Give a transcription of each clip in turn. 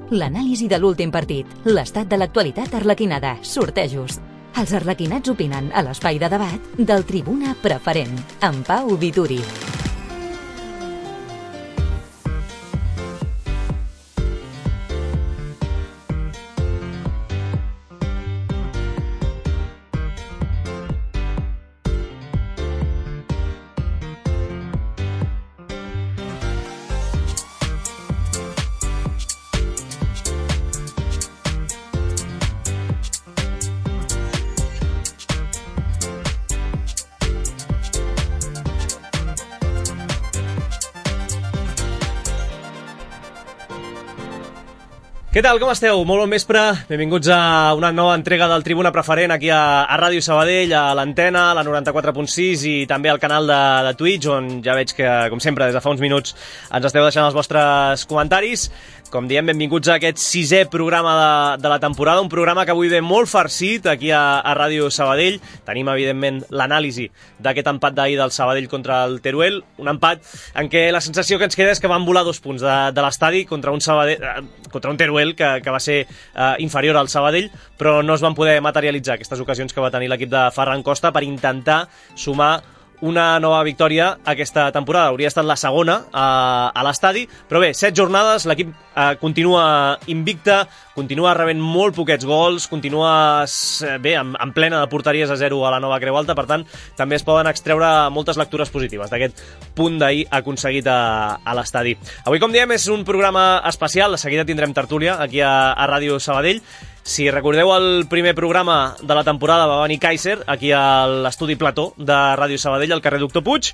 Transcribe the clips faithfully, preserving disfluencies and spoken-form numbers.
L'anàlisi de l'últim partit, l'estat de l'actualitat arlequinada, sortejos. Els arlequinats opinen a l'espai de debat del Tribuna Preferent, amb Pau Vituri. Què tal, com esteu? Molt bon vespre, benvinguts a una nova entrega del Tribuna Preferent aquí a, a Ràdio Sabadell, a l'antena, a la noranta-quatre punt sis i també al canal de, de Twitch, on ja veig que, com sempre, des de fa uns minuts ens esteu deixant els vostres comentaris. Com diem, benvinguts a aquest sisè programa de, de la temporada, un programa que avui ve molt farcit aquí a, a Ràdio Sabadell. Tenim, evidentment, l'anàlisi d'aquest empat d'ahir del Sabadell contra el Teruel, un empat en què la sensació que ens queda és que van volar dos punts de, de l'estadi contra un Sabadell, eh, contra un Teruel que, que va ser eh, inferior al Sabadell, però no es van poder materialitzar aquestes ocasions que va tenir l'equip de Ferran Costa per intentar sumar una nova victòria aquesta temporada. Hauria estat la segona a, a l'estadi, però bé, set jornades, l'equip eh, continua invicta, continua rebent molt poquets gols, continua bé, en, en plena de porteries a zero a la nova Creu Alta, per tant, també es poden extreure moltes lectures positives d'aquest punt d'ahir aconseguit a, a l'estadi. Avui, com diem, és un programa especial, de seguida tindrem tertúlia aquí a, a Ràdio Sabadell. Si recordeu el primer programa de la temporada va venir Kaiser, aquí a l'estudi Plató de Ràdio Sabadell, al carrer Doctor Puig,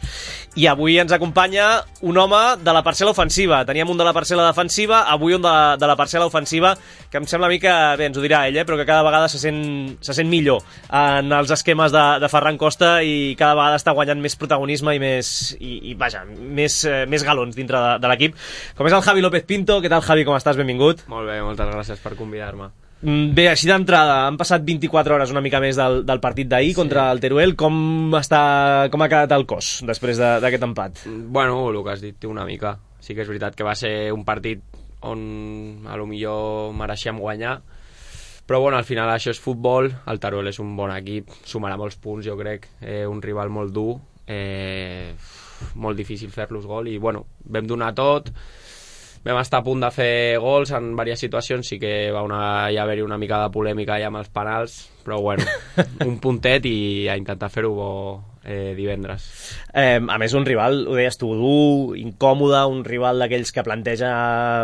i avui ens acompanya un home de la parcel·la ofensiva. Teníem un de la parcel·la defensiva, avui un de la, de la parcel·la ofensiva, que em sembla a mi que, bé, ens ho dirà ell, eh, però que cada vegada se sent, se sent millor en els esquemes de, de Ferran Costa i cada vegada està guanyant més protagonisme i més, i, i vaja, més, eh, més galons dintre de, de l'equip. Com és el Javi López Pinto. Què tal, Javi, com estàs? Benvingut. Molt bé, moltes gràcies per convidar-me. Bé, així d'entrada, han passat vint-i-quatre hores una mica més del, del partit d'ahir sí. contra el Teruel. Com, està, com ha quedat el cos després d'aquest empat? Bueno, el que has dit una mica. Sí que és veritat que va ser un partit on a lo millor mereixíem guanyar, però bueno, al final això és futbol. El Teruel és un bon equip, sumarà molts punts, jo crec, eh, un rival molt dur, eh, molt difícil fer-los gol i bueno, vam donar tot. Vam estar a punt de fer gols en diverses situacions, sí que va una, ja haver-hi una mica de polèmica ja amb els penals, però bueno, un puntet i a intentar fer-ho bo eh, divendres. Eh, a més, un rival, ho deies tu, dur, incòmode, un rival d'aquells que planteja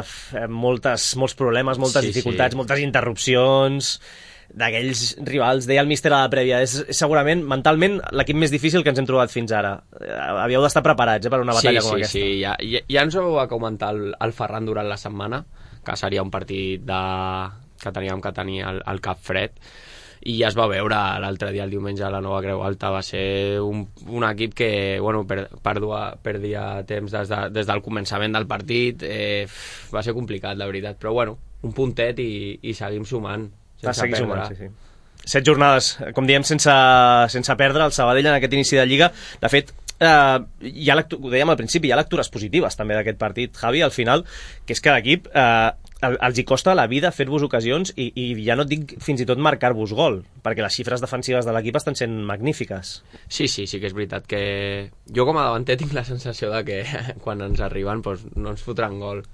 eh, moltes, molts problemes, moltes sí, dificultats, sí. moltes interrupcions, d'aquells rivals, deia el míster a la prèvia, és segurament mentalment l'equip més difícil que ens hem trobat fins ara. Havíeu d'estar preparats eh, per una batalla sí, com sí, aquesta. Sí, sí, ja, ja, ja ens ho va comentar el, el Ferran durant la setmana, que seria un partit de, que teníem que tenir el, el cap fred, i ja es va veure l'altre dia, el diumenge, a la nova Creu Alta. Va ser un, un equip que bueno, per, perdia, perdia temps des, de, des del començament del partit, eh, va ser complicat, la veritat, però bueno, un puntet i, i seguim sumant. Va seguir sumant, sí, sí. Set jornades, com diem, sense, sense perdre el Sabadell en aquest inici de Lliga. De fet, eh, hi ha ho dèiem al principi, hi ha lectures positives també d'aquest partit, Javi, al final, que és que l'equip eh, els hi costa la vida fer-vos ocasions i, i ja no et dic fins i tot marcar-vos gol, perquè les xifres defensives de l'equip estan sent magnífiques. Sí, sí, sí que és veritat que jo com a davanter tinc la sensació de que quan ens arriben doncs, no ens fotran gol.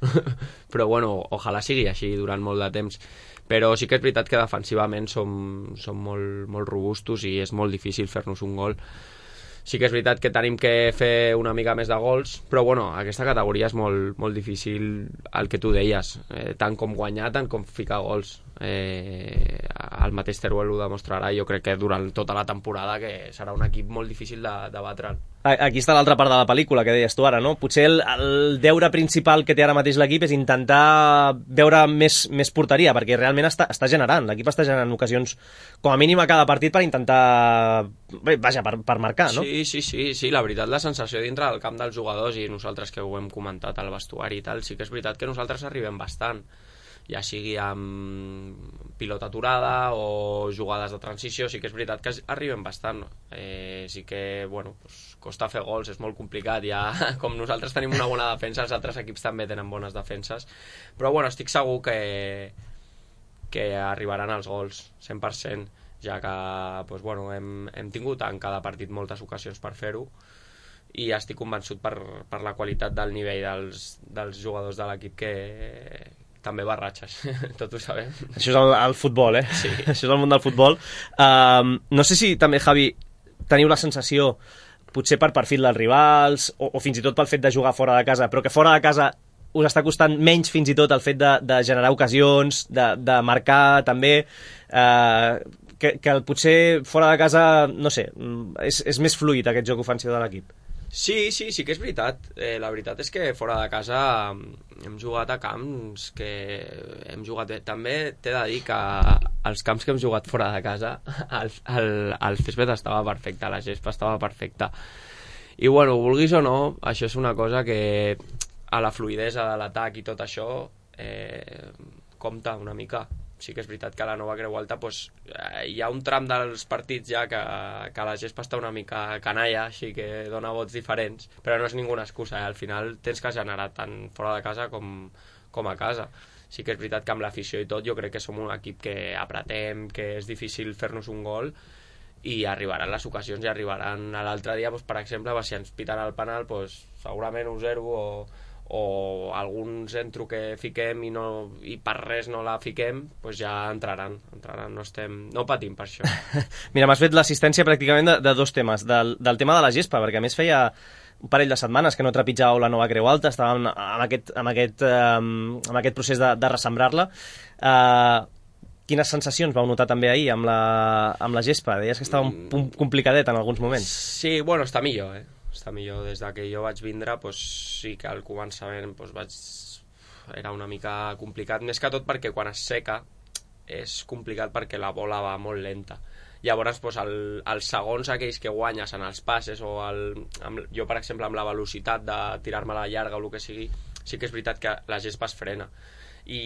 Però bueno, ojalà sigui així durant molt de temps. Però sí que és veritat que defensivament som, som molt, molt robustos i és molt difícil fer-nos un gol. Sí que és veritat que tenim que fer una mica més de gols, però bueno, aquesta categoria és molt, molt difícil, el que tu deies, eh, tant com guanyar, tant com ficar gols. Eh, el mateix Teruel ho demostrarà, jo crec que durant tota la temporada, que serà un equip molt difícil de, de batre'l. Aquí està l'altra part de la pel·lícula que deies tu ara, no? Potser el, el deure principal que té ara mateix l'equip és intentar veure més, més porteria, perquè realment està, està generant, l'equip està generant ocasions com a mínim a cada partit per intentar, bé, vaja, per, per marcar, no? Sí, sí, sí, sí, la veritat, la sensació dintre del camp dels jugadors, i nosaltres que ho hem comentat al vestuari i tal, sí que és veritat que nosaltres arribem bastant. ja sigui amb pilota aturada o jugades de transició. Sí que és veritat que arriben bastant, eh, sí que, bueno, pues, costa fer gols, és molt complicat, ja com nosaltres tenim una bona defensa, els altres equips també tenen bones defenses, però bueno, estic segur que que arribaran els gols cent per cent, ja que pues, bueno, hem, hem tingut en cada partit moltes ocasions per fer-ho, i estic convençut per, per la qualitat del nivell dels, dels jugadors de l'equip, que també barratxes, tot ho sabem. Això és el, el futbol, eh? Sí. Això és el món del futbol. Um, no sé si també, Javi, teniu la sensació, potser per perfil dels rivals, o, o fins i tot pel fet de jugar fora de casa, però que fora de casa us està costant menys fins i tot el fet de, de generar ocasions, de, de marcar també, eh, que, que potser fora de casa, no sé, és, és més fluid aquest joc ofensiu de l'equip. Sí, sí, sí que és veritat. Eh, la veritat és que fora de casa hem jugat a camps que hem jugat bé. També t'he de dir que els camps que hem jugat fora de casa, el, el, el césped estava perfecte, la gespa estava perfecta. I bueno, vulguis o no, això és una cosa que a la fluidesa de l'atac i tot això eh, compta una mica. Sí que és veritat que a la Nova Creu Alta pues, eh, hi ha un tram dels partits ja que, que la gespa està una mica canalla, així que dona vots diferents, però no és ninguna excusa, eh? Al final tens que generar tant fora de casa com, com a casa. Sí que és veritat que amb l'afició i tot jo crec que som un equip que apretem, que és difícil fer-nos un gol, i arribaran les ocasions, i arribaran l'altre dia, pues, per exemple, si ens piten el penal, pues, segurament un zero o o algun centre que fiquem i, no, i per res no la fiquem, doncs ja entraran, entraran no, estem, no patim per això. Mira, m'has fet l'assistència pràcticament de, de dos temes, del, del tema de la gespa, perquè a més feia un parell de setmanes que no trepitjàveu la Nova Creu Alta, estàvem en aquest, en aquest, um, en aquest procés de, de ressembrar-la. Uh, quines sensacions vau notar també ahir amb la, amb la gespa? Deies que estava un punt complicadet en alguns moments. Sí, bueno, està millor, eh? Està millor. Des de que jo vaig vindre, doncs, sí que al començament doncs, vaig... era una mica complicat, més que tot perquè quan es seca és complicat perquè la bola va molt lenta. Llavors, doncs, el, els segons aquells que guanyes en els passes, o el, amb, jo, per exemple, amb la velocitat de tirar-me a la llarga o el que sigui, sí que és veritat que la gespa es frena. I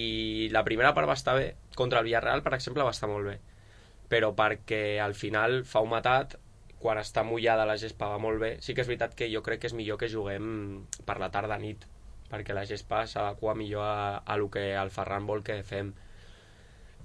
la primera part va estar bé. Contra el Villarreal, per exemple, va estar molt bé. Però perquè al final fa un matat, quan està mullada la gespa va molt bé. Sí que és veritat que jo crec que és millor que juguem per la tarda nit, perquè la gespa s'adequa millor a, a lo que el Ferran vol que fem.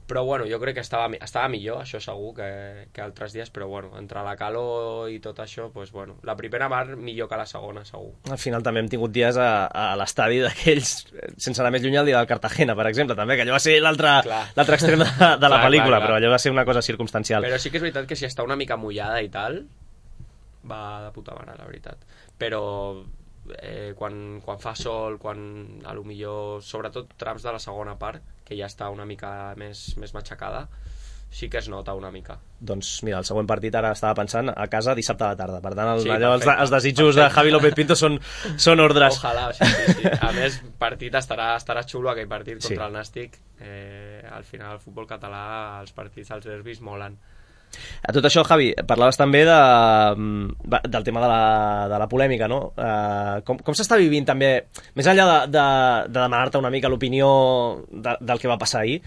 Però bueno, jo crec que estava, estava millor, això segur, que, que altres dies, però bueno, entre la calor i tot això, doncs bueno, la primera part millor que la segona, segur. Al final també hem tingut dies a, a l'estadi d'aquells, sense anar més lluny, el dia del Cartagena, per exemple, també, que allò va ser l'altre extrem de, de la clar, pel·lícula, clar, clar. Però allò va ser una cosa circumstancial. Però sí que és veritat que si està una mica mullada i tal, va de puta mare, la veritat. Però eh, quan, quan fa sol, quan a lo millor, sobretot trams de la segona part, que ja està una mica més, més matxacada, sí que es nota una mica. Doncs mira, el següent partit ara estava pensant a casa dissabte a la tarda, per tant el, sí, allò, perfecte, els, els desitjos perfecte. De Javi López Pinto són, són ordres. Ojalà, sí, sí, sí. A més, partit estarà, estarà xulo aquell partit contra sí. el Nàstic. Eh, al final el futbol català, els partits, els derbis molen. A tot això, Javi, parlaves també de, del tema de la, de la polèmica, no? Uh, com com s'està vivint també, més enllà de, de, de demanar-te una mica l'opinió de, del que va passar ahir,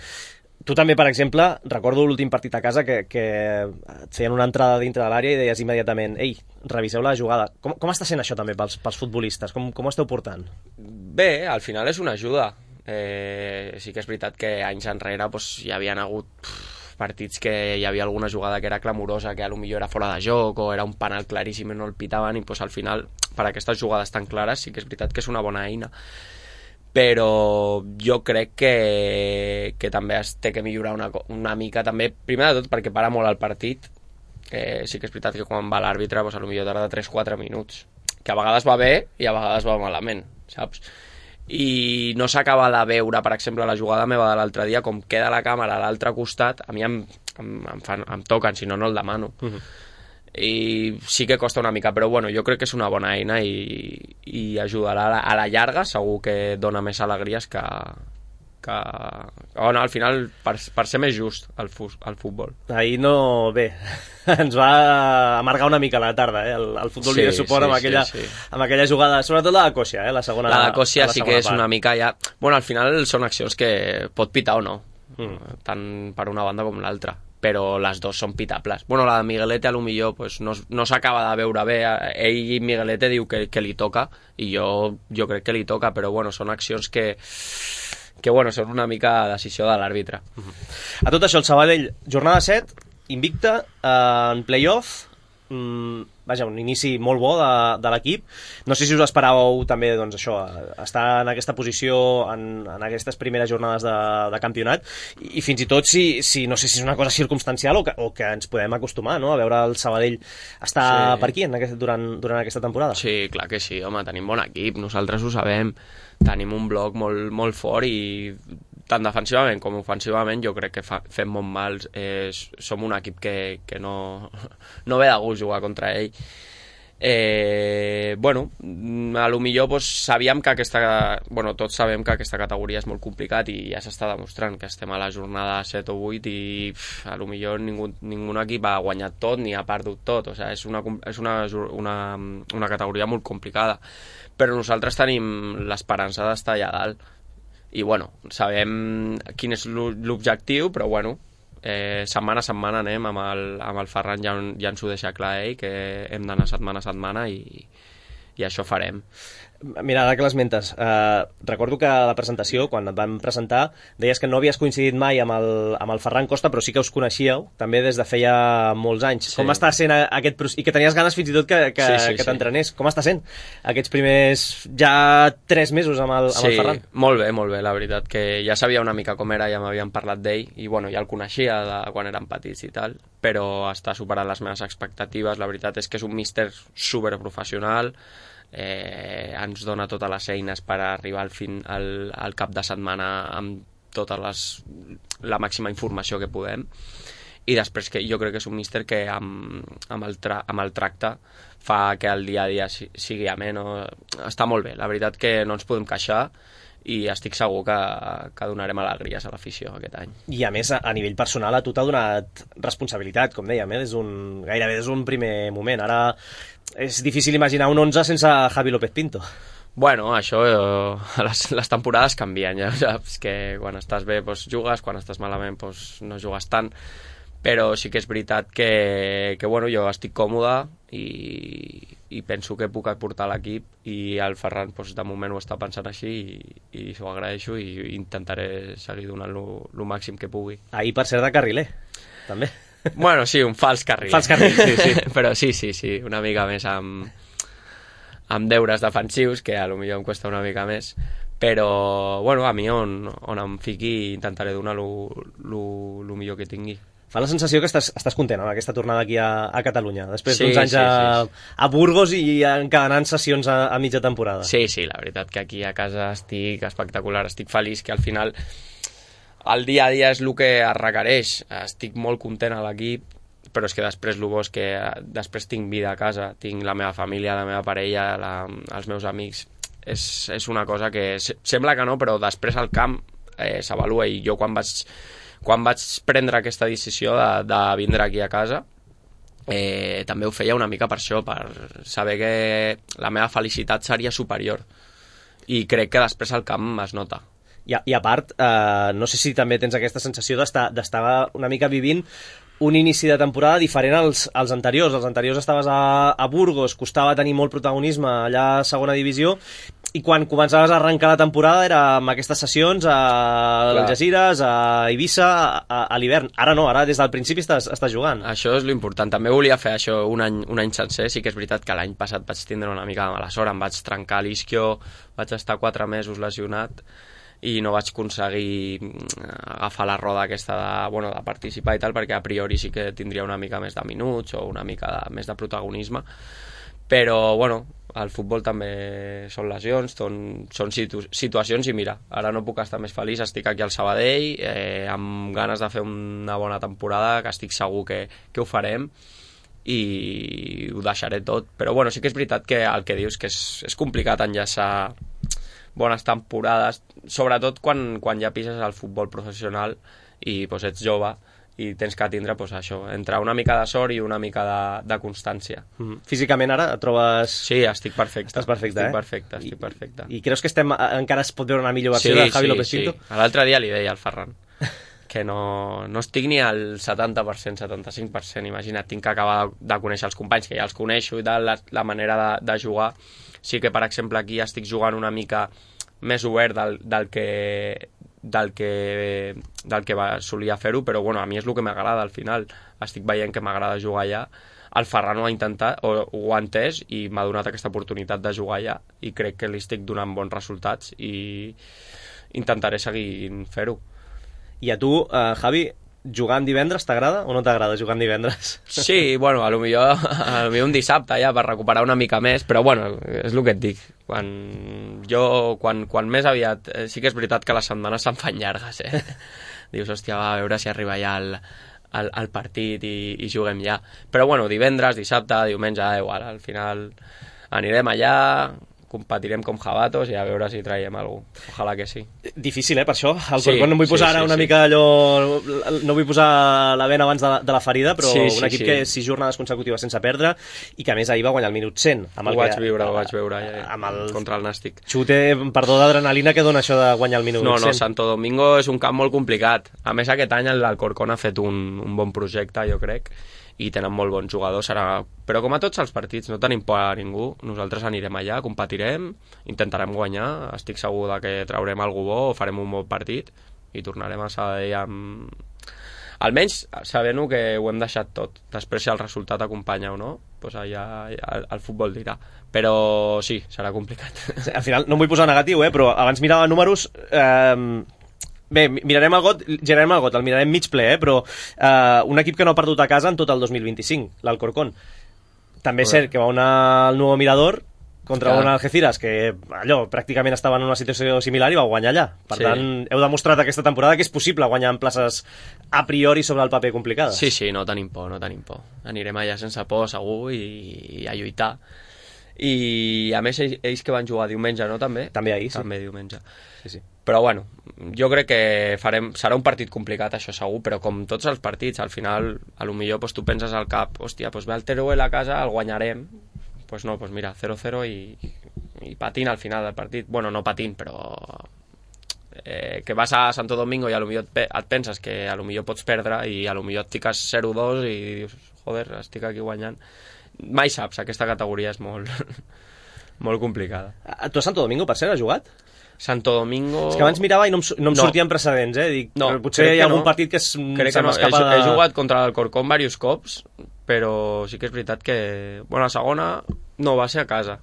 tu també, per exemple, recordo l'últim partit a casa que, que et feien una entrada dintre de l'àrea i deies immediatament, ei, reviseu la jugada. Com, com està sent això també pels, pels futbolistes? Com, com ho esteu portant? Bé, al final és una ajuda. Eh, sí que és veritat que anys enrere doncs, hi havien hagut... Pff, partits que hi havia alguna jugada que era clamorosa, que a lo millor era fora de joc o era un penal claríssim i no el pitaven, i pues, al final per aquestes jugades tan clares sí que és veritat que és una bona eina, però jo crec que, que també es té que millorar una, una mica també, primer de tot perquè para molt el partit. Eh, sí que és veritat que quan va l'àrbitre pues, a lo millor tarda tres quatre minuts, que a vegades va bé i a vegades va malament, saps? I no s'acaba de veure, per exemple, la jugada meva de l'altre dia, com queda la càmera a l'altre costat, a mi em, em, em, fan, em toquen, si no, no el demano. Uh-huh. I sí que costa una mica, però bueno, jo crec que és una bona eina i, i ajudarà a la, a la llarga, segur que dona més alegries que, que... Oh, no, al final, per, per ser més just el, fu el futbol. Ahir no... Bé, ens va amargar una mica la tarda, eh? El, el futbol sí, li de suport sí, amb, aquella, sí, sí. amb aquella jugada, sobretot la de Còcia, eh? La segona La de Còcia sí que és part. una mica ja... Bueno, al final són accions que pot pitar o no, mm. tant per una banda com l'altra, però les dues són pitables. Bueno, la de Miguelete a lo millor pues, no, no s'acaba de veure bé, ell i Miguelete diu que, que li toca, i jo, jo crec que li toca, però bueno, són accions que... que bueno, són una mica decisió de l'àrbitre. Mm-hmm. A tot això, el Sabadell, jornada set, invicta, eh, en play-off, mm, vaja, un inici molt bo de, de l'equip. No sé si us esperàveu també, doncs això, estar en aquesta posició en, en aquestes primeres jornades de, de campionat, i, i fins i tot si, si no sé si és una cosa circumstancial o que, o que ens podem acostumar, no?, a veure el Sabadell estar sí. per aquí en aquest, durant, durant aquesta temporada. Sí, clar que sí, home, tenim bon equip, nosaltres ho sabem, tenim un bloc molt, molt fort i tant defensivament com ofensivament jo crec que fa, fem molt mal, eh, som un equip que, que no, no ve de gust jugar contra ell. Eh, bueno, a lo millor pues, sabíem que aquesta, bueno, tots sabem que aquesta categoria és molt complicat i ja s'està demostrant que estem a la jornada set o vuit i pff, a lo millor ningú, ningú equip ha guanyat tot ni ha perdut tot, o sigui, és, una, és una, una, una categoria molt complicada, però nosaltres tenim l'esperança d'estar allà dalt i bueno, sabem quin és l'objectiu, però bueno, eh, setmana a setmana anem amb el, amb el Ferran, ja, ja ens ho deixa clar ell, que hem d'anar setmana a setmana i, i això farem. Mira, ara que l'esmentes, eh, recordo que a la presentació, quan et vam presentar, deies que no havies coincidit mai amb el, amb el Ferran Costa, però sí que us coneixíeu, també des de feia molts anys. Sí. Com està sent aquest procés? I que tenies ganes fins i tot que, que, sí, sí, que t'entrenés. Sí. Com està sent aquests primers ja tres mesos amb el, amb sí, el Ferran? Sí, molt bé, molt bé, la veritat, que ja sabia una mica com era, ja m'havien parlat d'ell, i bueno, ja el coneixia de quan érem petits i tal, però està superant les meves expectatives. La veritat és que és un míster superprofessional, Eh, ens dona totes les eines per arribar al, fin, al, al cap de setmana amb tota les, la màxima informació que podem, i després que jo crec que és un míster que amb, amb, el, tra, amb el tracte fa que el dia a dia sigui amè, no? Està molt bé, la veritat que no ens podem queixar i estic segur que, que donarem alegries a l'afició aquest any. I a més, a, a nivell personal, a tu t'ha donat responsabilitat, com dèiem, eh? des un, gairebé des d'un primer moment. Ara és difícil imaginar un onze sense Javi López Pinto. Bueno, això, eh, les, les temporades canvien, ja saps que quan estàs bé doncs, jugues, quan estàs malament doncs, no jugues tant, però sí que és veritat que, que bueno, jo estic còmode i, i penso que puc aportar l'equip, i el Ferran doncs, de moment ho està pensant així i, i s'ho agraeixo i intentaré seguir donant-lo el màxim que pugui. Ahir, per cert, de carriler, també. Bueno, sí, un fals carriler. Fals carriler, sí, sí. Però sí, sí, sí, una mica més amb, amb deures defensius, que a lo millor em costa una mica més, però bueno, a mi on, on em fiqui intentaré donar el millor que tingui. Fa la sensació que estàs, estàs content amb aquesta tornada aquí a, a Catalunya, després sí, d'uns anys sí, a, sí, sí. a Burgos i encadenant sessions a, a mitja temporada. Sí, sí, la veritat que aquí a casa estic espectacular, estic feliç, que al final el dia a dia és el que es requereix, estic molt content a l'equip, però és que després el bo és que després tinc vida a casa, tinc la meva família, la meva parella, la, els meus amics, és, és una cosa que sembla que no, però després al camp eh, s'avalua, i jo quan vaig Quan vaig prendre aquesta decisió de, de vindre aquí a casa, eh, també ho feia una mica per això, per saber que la meva felicitat seria superior. I crec que després al camp es nota. I a, i a part, eh, no sé si també tens aquesta sensació d'estar d'estar una mica vivint un inici de temporada diferent als, als anteriors. Els anteriors estaves a, a Burgos, costava tenir molt protagonisme allà a segona divisió, i quan començaves a arrencar la temporada era amb aquestes sessions a Algesires, a Eivissa, a, a l'hivern. Ara no, ara des del principi estàs, estàs jugant. Això és l'important. També volia fer això un any, un any sencer. Sí que és veritat que l'any passat vaig tindre una mica de mala sort, em vaig trencar l'isquio, vaig estar quatre mesos lesionat i no vaig aconseguir agafar la roda aquesta de, bueno, de participar i tal, perquè a priori sí que tindria una mica més de minuts o una mica de, més de protagonisme, però bueno, al futbol també són lesions, són, són situ situacions, i mira, ara no puc estar més feliç, estic aquí al Sabadell, eh, amb ganes de fer una bona temporada, que estic segur que, que ho farem, i ho deixaré tot, però bueno, sí que és veritat que el que dius que és, és complicat enllaçar bones temporades, sobretot quan, quan ja pises al futbol professional i pues, ets jove i tens que tindre pues, això, entre una mica de sort i una mica de, de constància. Mm. Físicament ara et trobes... Sí, estic perfecte. Estàs perfecte, estic eh? perfecte, estic perfecte. I, I creus que estem, encara es pot veure una millor versió sí, de Javi sí, López Pinto? Sí, l'altre dia li deia al Ferran que no, no estic ni al setanta per cent, setanta-cinc per cent, imagina't, tinc que acabar de, de conèixer els companys, que ja els coneixo i tal, la, la manera de, de jugar. Sí que, per exemple, aquí estic jugant una mica més obert del, del que del que, del que va, solia fer-ho, però bueno, a mi és el que m'agrada al final. Estic veient que m'agrada jugar allà. El Ferran ho ha intentat, o ho ha entès, i m'ha donat aquesta oportunitat de jugar allà, i crec que li estic donant bons resultats i intentaré seguir fer-ho. I a tu, uh, Javi, jugar en divendres t'agrada o no t'agrada jugar en divendres? Sí, bueno, a lo millor, a lo millor un dissabte ja per recuperar una mica més, però bueno, és el que et dic. Quan jo, quan, quan més aviat, eh, sí que és veritat que les setmanes se'n fan llargues, eh? Dius, hòstia, va, a veure si arriba ja el, el, el partit i, i juguem ja. Però bueno, divendres, dissabte, diumenge, igual, al final anirem allà, competirem com jabatos i a veure si traiem alguna cosa. Ojalà que sí. Difícil, eh, per això. El sí, Corcón no em vull sí, posar sí, ara una sí. mica allò... No vull posar la vena abans de la, de la ferida, però sí, sí, un equip sí. que sis jornades consecutives sense perdre i que a més ahir va guanyar el minut cent. Amb el ho vaig que, viure, ho vaig veure ja, amb el contra el Nàstic. Xute, perdó, d'adrenalina que dona això de guanyar el minut no, no, cent. Santo Domingo és un camp molt complicat. A més, aquest any el Corcón ha fet un, un bon projecte, jo crec, i tenen molt bons jugadors. Serà... Però com a tots els partits, no tenim por a ningú. Nosaltres anirem allà, competirem, intentarem guanyar, estic segur de que traurem algú bo o farem un bon partit i tornarem a Sabadell amb... Almenys sabent-ho que ho hem deixat tot. Després, si el resultat acompanya o no, doncs allà el, el futbol dirà. Però sí, serà complicat. Al final, no em vull posar negatiu, eh, però abans mirava números... Eh... Bé, mirarem el got, girarem el got, el mirarem mig ple, eh? Però eh, un equip que no ha perdut a casa en tot el dos mil vint-i-cinc, l'Alcorcón. També és cert que va anar al Nou Mirador contra Clar. un Algeciras que allò pràcticament estava en una situació similar i va guanyar allà. Per Sí. tant, heu demostrat aquesta temporada que és possible guanyar en places a priori sobre el paper complicades. Sí, sí, no tenim por, no tenim por. Anirem allà sense por, segur, i, i a lluitar. I a més ells, ells que van jugar diumenge, no? També? També ahir, sí. També diumenge. Sí, sí. Però bueno, jo crec que farem, serà un partit complicat, això segur, però com tots els partits, al final, a lo millor pues, tu penses al cap, hòstia, pues ve el Teruel a casa, el guanyarem. Pues no, pues mira, zero cero i, i patint al final del partit. Bueno, no patint, però eh, que vas a Santo Domingo i a lo millor et, pe et penses que a lo millor pots perdre i a lo millor et fiques zero dos i dius, joder, estic aquí guanyant. Mai saps, aquesta categoria és molt, molt complicada. Tu a Santo Domingo, per cert, has jugat? Santo Domingo... És que abans mirava i no em, no em No. sortien precedents, eh? Dic, No, potser crec hi ha que algun no. partit que es, Crec se que no. m'escapa He, de... he jugat contra el Corcón diversos cops, però sí que és veritat que... Bueno, la segona no va ser a casa,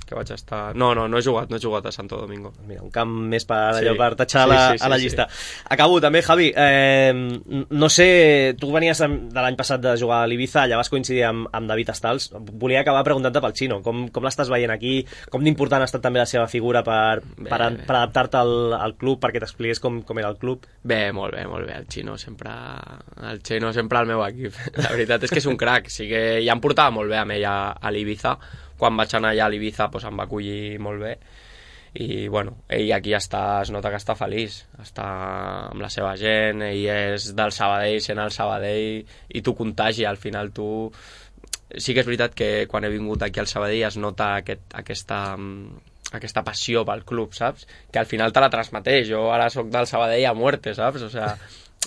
que vaig estar... No, no, no he jugat, no he jugat a Santo Domingo. Mira, un camp més per, Sí. allò, per tatxar Sí, la, sí, sí, a la sí. llista. Acabo també, Javi. Eh, no sé, tu venies de l'any passat de jugar a l'Ibiza, allà vas coincidir amb, amb David Estals. Volia acabar preguntant-te pel Xino. Com, com l'estàs veient aquí? Com d'important ha estat també la seva figura per, per, Bé. per adaptar-te al, al club, perquè t'expliqués com, com era el club? Bé, molt bé, molt bé. El Xino sempre, el Xino sempre al meu equip. La veritat és que és un crac. Sí que ja em portava molt bé amb ell a, a l'Ibiza. Quan vaig anar allà a l'Ibiza pues, em va acollir molt bé. I bueno, ell aquí està, es nota que està feliç, està amb la seva gent, ell és del Sabadell, sent el Sabadell, i tu contagi, al final tu... Sí que és veritat que quan he vingut aquí al Sabadell es nota aquest, aquesta, aquesta passió pel club, saps? Que al final te la transmeteix, jo ara sóc del Sabadell a muerte, saps? O sea,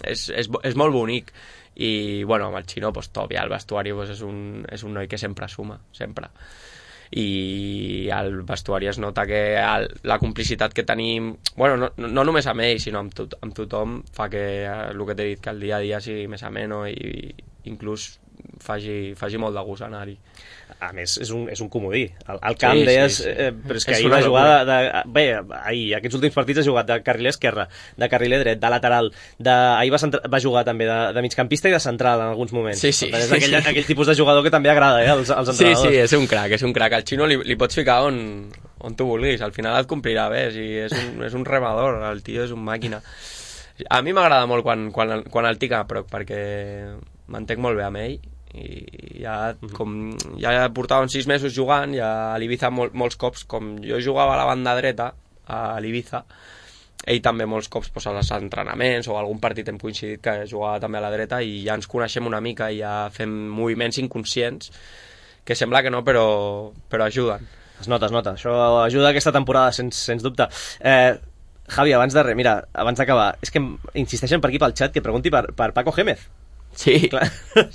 és, és, és molt bonic. I bueno, amb el Xino, pues, top, ja el vestuari pues, és, un, és un noi que sempre suma, sempre. I al vestuari es nota que el, la complicitat que tenim, bueno, no, no només amb ell, sinó amb, tot, amb tothom, fa que el que t'he dit, que el dia a dia sigui més ameno i, i inclús faci, faci molt de gust anar-hi. A més, és un, és un comodí. Al, al camp Sí, deies... sí, sí. Eh, però és que És ahir una va jugar de, locura. de... Bé, ahir, aquests últims partits ha jugat de carriler esquerre, de carriler dret, de lateral, de, ahir va, centra, va jugar també de, de migcampista i de central en alguns moments. Sí, sí. Per tant, és aquell, aquell tipus de jugador que també agrada, eh, als, als Sí, entrenadors. sí, és un crac, és un crac. Al Xino li, li pots ficar on, on tu vulguis, al final et complirà bé, sí, és, un, és un remador, el tio és un màquina. A mi m'agrada molt quan, quan, quan el tinc a prop, perquè m'entenc molt bé amb ell, i ja, com, ja portàvem sis mesos jugant, ja a l'Ibiza mol, molts cops, com jo jugava a la banda dreta, a l'Ibiza, ell també molts cops pues, als entrenaments o algun partit hem coincidit que jugava també a la dreta i ja ens coneixem una mica i ja fem moviments inconscients que sembla que no, però, però ajuden. Es nota, es nota. Això ajuda aquesta temporada, sens, sens dubte. Eh, Javi, abans de res, mira, abans d'acabar, és que insisteixen per aquí pel xat que pregunti per, per Paco Gémez. Sí. Clar,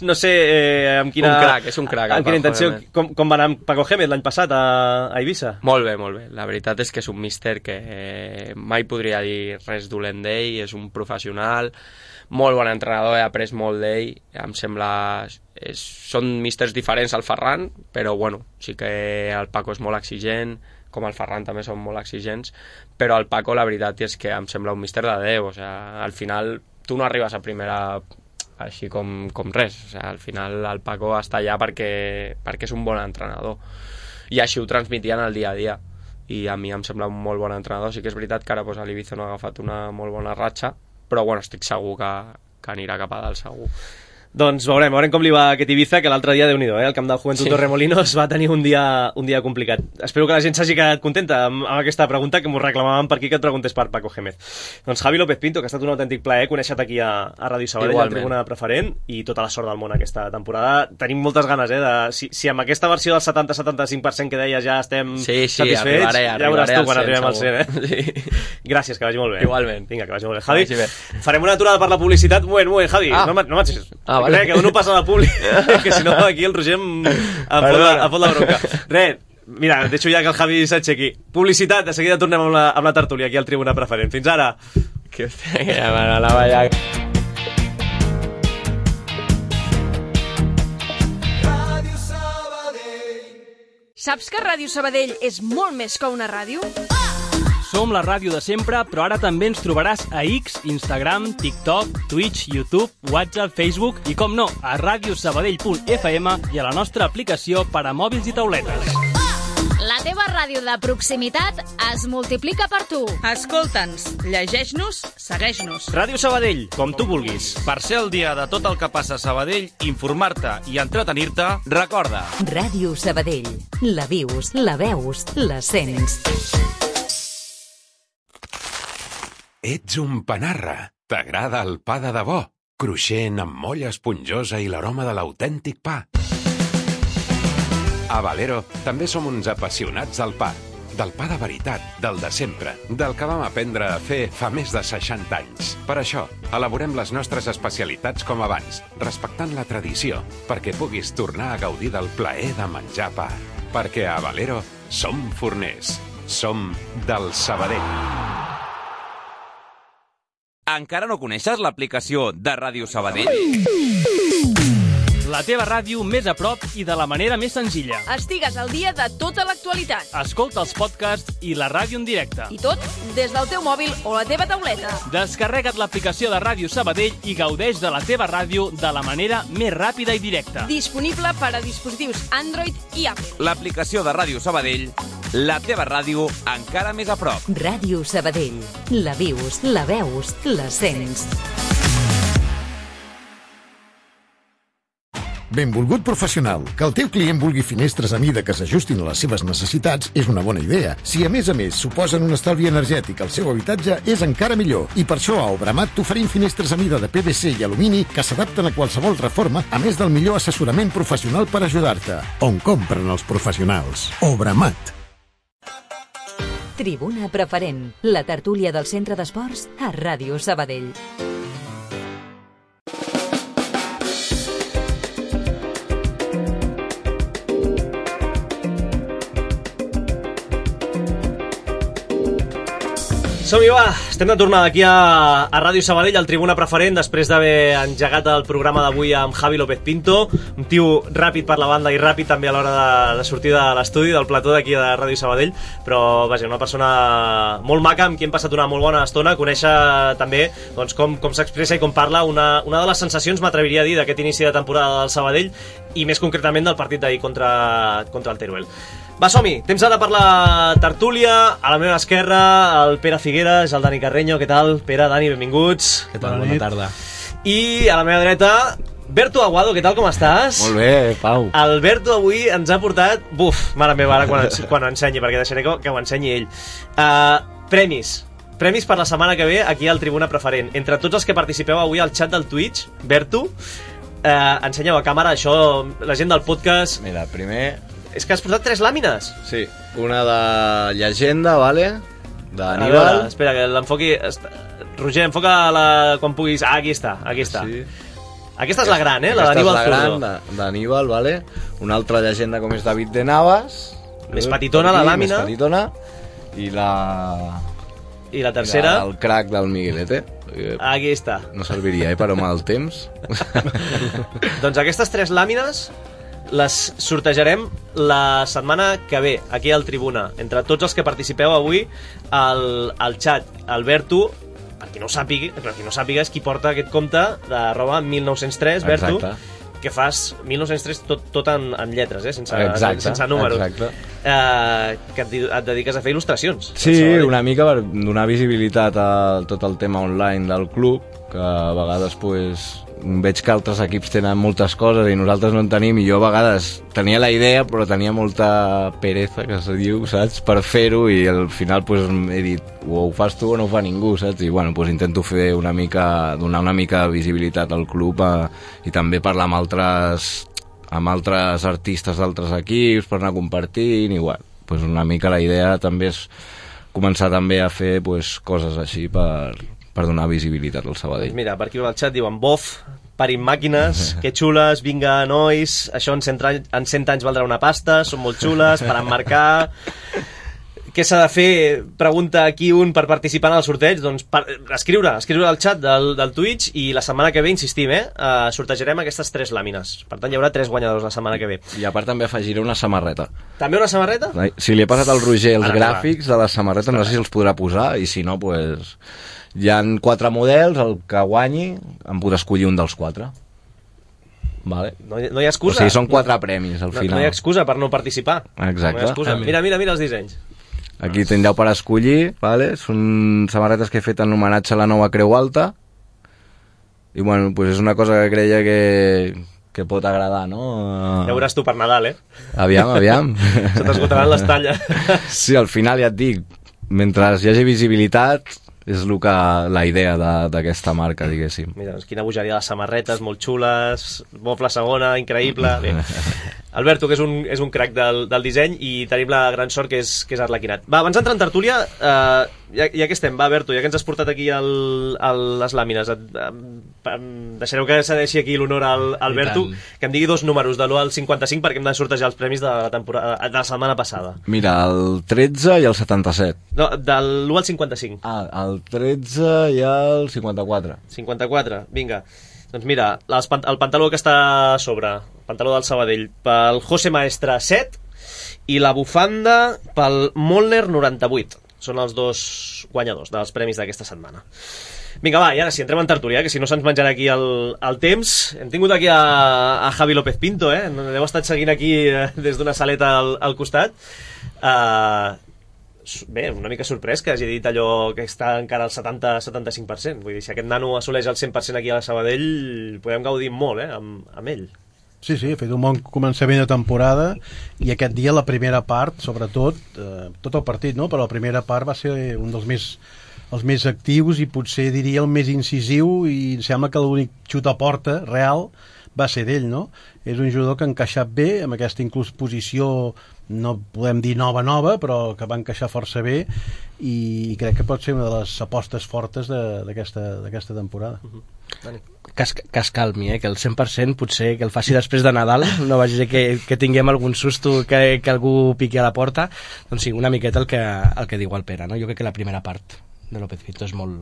no sé eh, amb quina... Un crac, és un crac. Amb quina intenció, com, com va anar amb Paco Gémez l'any passat a, a Eivissa? Molt bé, molt bé. La veritat és que és un míster que eh, mai podria dir res dolent d'ell, és un professional, molt bon entrenador, he après molt d'ell, em sembla... És, són místers diferents al Ferran, però bueno, sí que el Paco és molt exigent, com el Ferran també són molt exigents, però el Paco la veritat és que em sembla un míster de Déu, o sigui, al final tu no arribes a primera així com, com res, o sigui, al final el Paco està allà perquè, perquè és un bon entrenador i així ho transmitien al dia a dia i a mi em sembla un molt bon entrenador. Sí que és veritat que ara pues, a l'Ibiza no ha agafat una molt bona ratxa, però bueno, estic segur que, que anirà cap a dalt segur. Doncs veurem, veurem com li va aquest Ibiza, que l'altre dia, Déu-n'hi-do, eh? El camp del Joventut sí. Torremolinos va tenir un dia, un dia complicat. Espero que la gent s'hagi quedat contenta amb, amb aquesta pregunta, que m'ho reclamaven per aquí que et preguntés per Paco Gémez. Doncs Javi López Pinto, que ha estat un autèntic plaer conèixer-te aquí a, a Ràdio Sabadell, a la Tribuna Preferent, i tota la sort del món aquesta temporada. Tenim moltes ganes, eh? De, si, si amb aquesta versió del setanta a setanta-cinc per cent que deies ja estem sí, sí, satisfets, arribaré, ja veuràs tu quan cent, arribem al cent, eh? Sí. Gràcies, que vagi molt bé. Igualment. Vinga, que vagi molt bé. Javi, bé. Farem una aturada per la publicitat. Un moment, un moment, Javi, ah. no m'atxis. Ah, vale. Crec que dono pas a la públic, que si no aquí el Roger em, em, fot, la, em fot la bronca. Res, mira, deixo ja que el Javi s'aixequi. Publicitat, de seguida tornem amb la, amb la tertúlia aquí al Tribuna Preferent. Fins ara. Que hòstia, que ja m'anava ja... Saps que Ràdio Sabadell és molt més que una ràdio? Som la ràdio de sempre, però ara també ens trobaràs a X, Instagram, TikTok, Twitch, YouTube, WhatsApp, Facebook i, com no, a radiosabadell punt f m i a la nostra aplicació per a mòbils i tauletes. La teva ràdio de proximitat es multiplica per tu. Escolta'ns, llegeix-nos, segueix-nos. Ràdio Sabadell, com tu vulguis. Per ser al dia de tot el que passa a Sabadell, informar-te i entretenir-te, recorda. Ràdio Sabadell. La vius, la veus, la sents. Ets un panarra. T'agrada el pa de debò, cruixent amb molla esponjosa i l'aroma de l'autèntic pa. A Valero també som uns apassionats del pa. Del pa de veritat, del de sempre, del que vam aprendre a fer fa més de seixanta anys. Per això, elaborem les nostres especialitats com abans, respectant la tradició, perquè puguis tornar a gaudir del plaer de menjar pa. Perquè a Valero som forners. Som del Sabadell. Encara no coneixes l'aplicació de Ràdio Sabadell? La teva ràdio més a prop i de la manera més senzilla. Estigues al dia de tota l'actualitat. Escolta els podcasts i la ràdio en directe. I tot des del teu mòbil o la teva tauleta. Descarrega't l'aplicació de Ràdio Sabadell i gaudeix de la teva ràdio de la manera més ràpida i directa. Disponible per a dispositius Android i Apple. L'aplicació de Ràdio Sabadell, la teva ràdio encara més a prop. Ràdio Sabadell. La vius, la veus, la sents. Benvolgut professional, que el teu client vulgui finestres a mida que s'ajustin a les seves necessitats és una bona idea. Si a més a més suposen un estalvi energètic al seu habitatge, és encara millor. I per això a Obramat t'oferim finestres a mida de P V C i alumini que s'adapten a qualsevol reforma, a més del millor assessorament professional per ajudar-te. On compren els professionals? Obramat. Tribuna Preferent, la tertúlia del Centre d'Esports a Ràdio Sabadell. Som-hi, va! Estem de tornada aquí a, a Ràdio Sabadell, al Tribuna Preferent, després d'haver engegat el programa d'avui amb Javi López Pinto, un tio ràpid per la banda i ràpid també a l'hora de, de sortir de l'estudi, del plató d'aquí de Ràdio Sabadell, però, vaja, una persona molt maca, amb qui hem passat una molt bona estona, conèixer també doncs, com, com s'expressa i com parla, una, una de les sensacions, m'atreviria a dir, d'aquest inici de temporada del Sabadell, i més concretament del partit d'ahir contra, contra el Teruel. Va, som-hi! Temps ara per la tertúlia. A la meva esquerra, el Pere Figueres, el Dani Carreño. Què tal? Pere, Dani, benvinguts. Què tal? Bona, Bona tarda. I a la meva dreta, Berto Aguado. Què tal, com estàs? Molt bé, Pau. El Berto avui ens ha portat... Buf, mare meva, ara quan, quan ho ensenyi, perquè deixaré que, que ho ensenyi ell. Uh, Premis. Premis per la setmana que ve aquí al Tribuna Preferent. Entre tots els que participeu avui al xat del Twitch, Berto, eh, ensenyeu a càmera això, la gent del podcast... Mira, primer... És que has posat tres làmines. Sí, una de llegenda, vale? D'Aníbal. A veure, espera, que l'enfoqui... Roger, enfoca la... quan puguis... Ah, aquí està, aquí està. Sí. Aquesta és la gran, eh? La d'Aníbal Zurdo. Aquesta és la gran d'Aníbal, vale? Una altra llegenda com és David de Navas. Més petitona, la làmina. Més petitona. I la... I la tercera? El crack del Miguelete. Aquí està. No serviria, eh, per home el temps. Doncs aquestes tres làmines les sortejarem la setmana que ve, aquí al Tribuna. Entre tots els que participeu avui al, al xat. Alberto, per qui no ho sàpiga, per qui no sàpiga és qui porta aquest compte d'arroba mil nou-cents tres, Berto. Exacte. Que fas mil nou-cents tres tot, tot en, en lletres, eh? sense, exacte, sense números. Exacte. Eh, que et, et dediques a fer il·lustracions. Sí, una mica per donar visibilitat a tot el tema online del club, que a vegades pues, veig que altres equips tenen moltes coses i nosaltres no en tenim, i jo a vegades tenia la idea però tenia molta pereza, que se diu, saps, per fer-ho, i al final pues, he dit, o ho fas tu o no ho fa ningú, saps? I bueno, pues, intento fer una mica, donar una mica de visibilitat al club, a, i també parlar amb altres, amb altres artistes d'altres equips per anar compartint, i bueno, pues, una mica la idea també és començar també a fer pues, coses així per... per donar visibilitat al Sabadell. Mira, per aquí al xat diuen bof, parin màquines, que xules, vinga, nois, això en cent, en cent anys valdrà una pasta, són molt xules, per emmarcar... Què s'ha de fer? Pregunta aquí un per participar en el sorteig. Doncs per, escriure, escriure al xat del, del Twitch, i la setmana que ve, insistim, eh, uh, sortejarem aquestes tres làmines. Per tant, hi haurà tres guanyadors la setmana que ve. I a part també afegiré una samarreta. També una samarreta? Si li he passat al Roger els Ara, gràfics de la samarreta, no sé si els podrà posar, i si no, pues... Hi ha quatre models, el que guanyi em podrà escollir un dels quatre. Vale. No, hi, no hi ha excusa. O sigui, són quatre premis al final. No, no hi ha excusa per no participar. Exacte. No hi ha excusa. Mira, mira, mira els dissenys. Aquí tindreu per escollir, vale? Són samarretes que he fet en homenatge a la nova Creu Alta. I bueno, pues és una cosa que creia que, que pot agradar, no? Ja veuràs tu per Nadal, eh? Aviam, aviam. Se t'esgotaran les talles. Sí, al final ja et dic, mentre hi hagi visibilitat, és el que, la idea d'aquesta marca, diguéssim. Mira, doncs quina bogeria de samarretes, molt xules, bof la segona, increïble. Bé. Alberto, que és un, és un crac del, del disseny, i tenim la gran sort que és, que és arlequinat. Va, abans d'entrar en tertúlia, eh, ja, ja que estem, va, Alberto, ja que ens has portat aquí el, el, les làmines, et, eh, deixareu que cedeixi aquí l'honor al Alberto, que em digui dos números, de l'u al cinquanta-cinc, perquè hem de sortejar els premis de la, temporada, de la setmana passada. Mira, el tretze i el setanta-set. No, de l'u al cinquanta-cinc. Ah, el tretze i el cinquanta-quatre. cinquanta-quatre, vinga. Doncs mira, les, el pantaló que està a sobre, el pantaló del Sabadell, pel José Maestre set, i la bufanda pel Molner noranta-vuit. Són els dos guanyadors dels premis d'aquesta setmana. Vinga, va, i ara sí, entrem en tertúlia, que si no se'ns menjarà aquí el, el temps. Hem tingut aquí a, a Javi López Pinto, eh? Heu estat seguint aquí eh, des d'una saleta al, al costat. Uh, bé, una mica sorprès que hagi dit allò que està encara al setanta a setanta-cinc per cent. Vull dir, si aquest nano assoleix el cent per cent aquí a la Sabadell, podem gaudir molt, eh, amb, amb ell. Sí, sí, ha fet un bon començament de temporada, i aquest dia la primera part, sobretot, eh, tot el partit, no? Però la primera part va ser un dels més, els més actius, i potser diria el més incisiu, i em sembla que l'únic xut a porta real va ser d'ell, no? És un jugador que ha encaixat bé, amb aquesta inclús posició, no podem dir nova-nova, però que va encaixar força bé, i crec que pot ser una de les apostes fortes d'aquesta temporada. Uh-huh. Que es, que es calmi, eh? Que el cent per cent potser que el faci després de Nadal, no vagi a ser que, que tinguem algun susto, que, que algú piqui a la porta. Doncs sí, una miqueta el que, el que diu el Pere, no? Jo crec que la primera part de López Pinto és molt,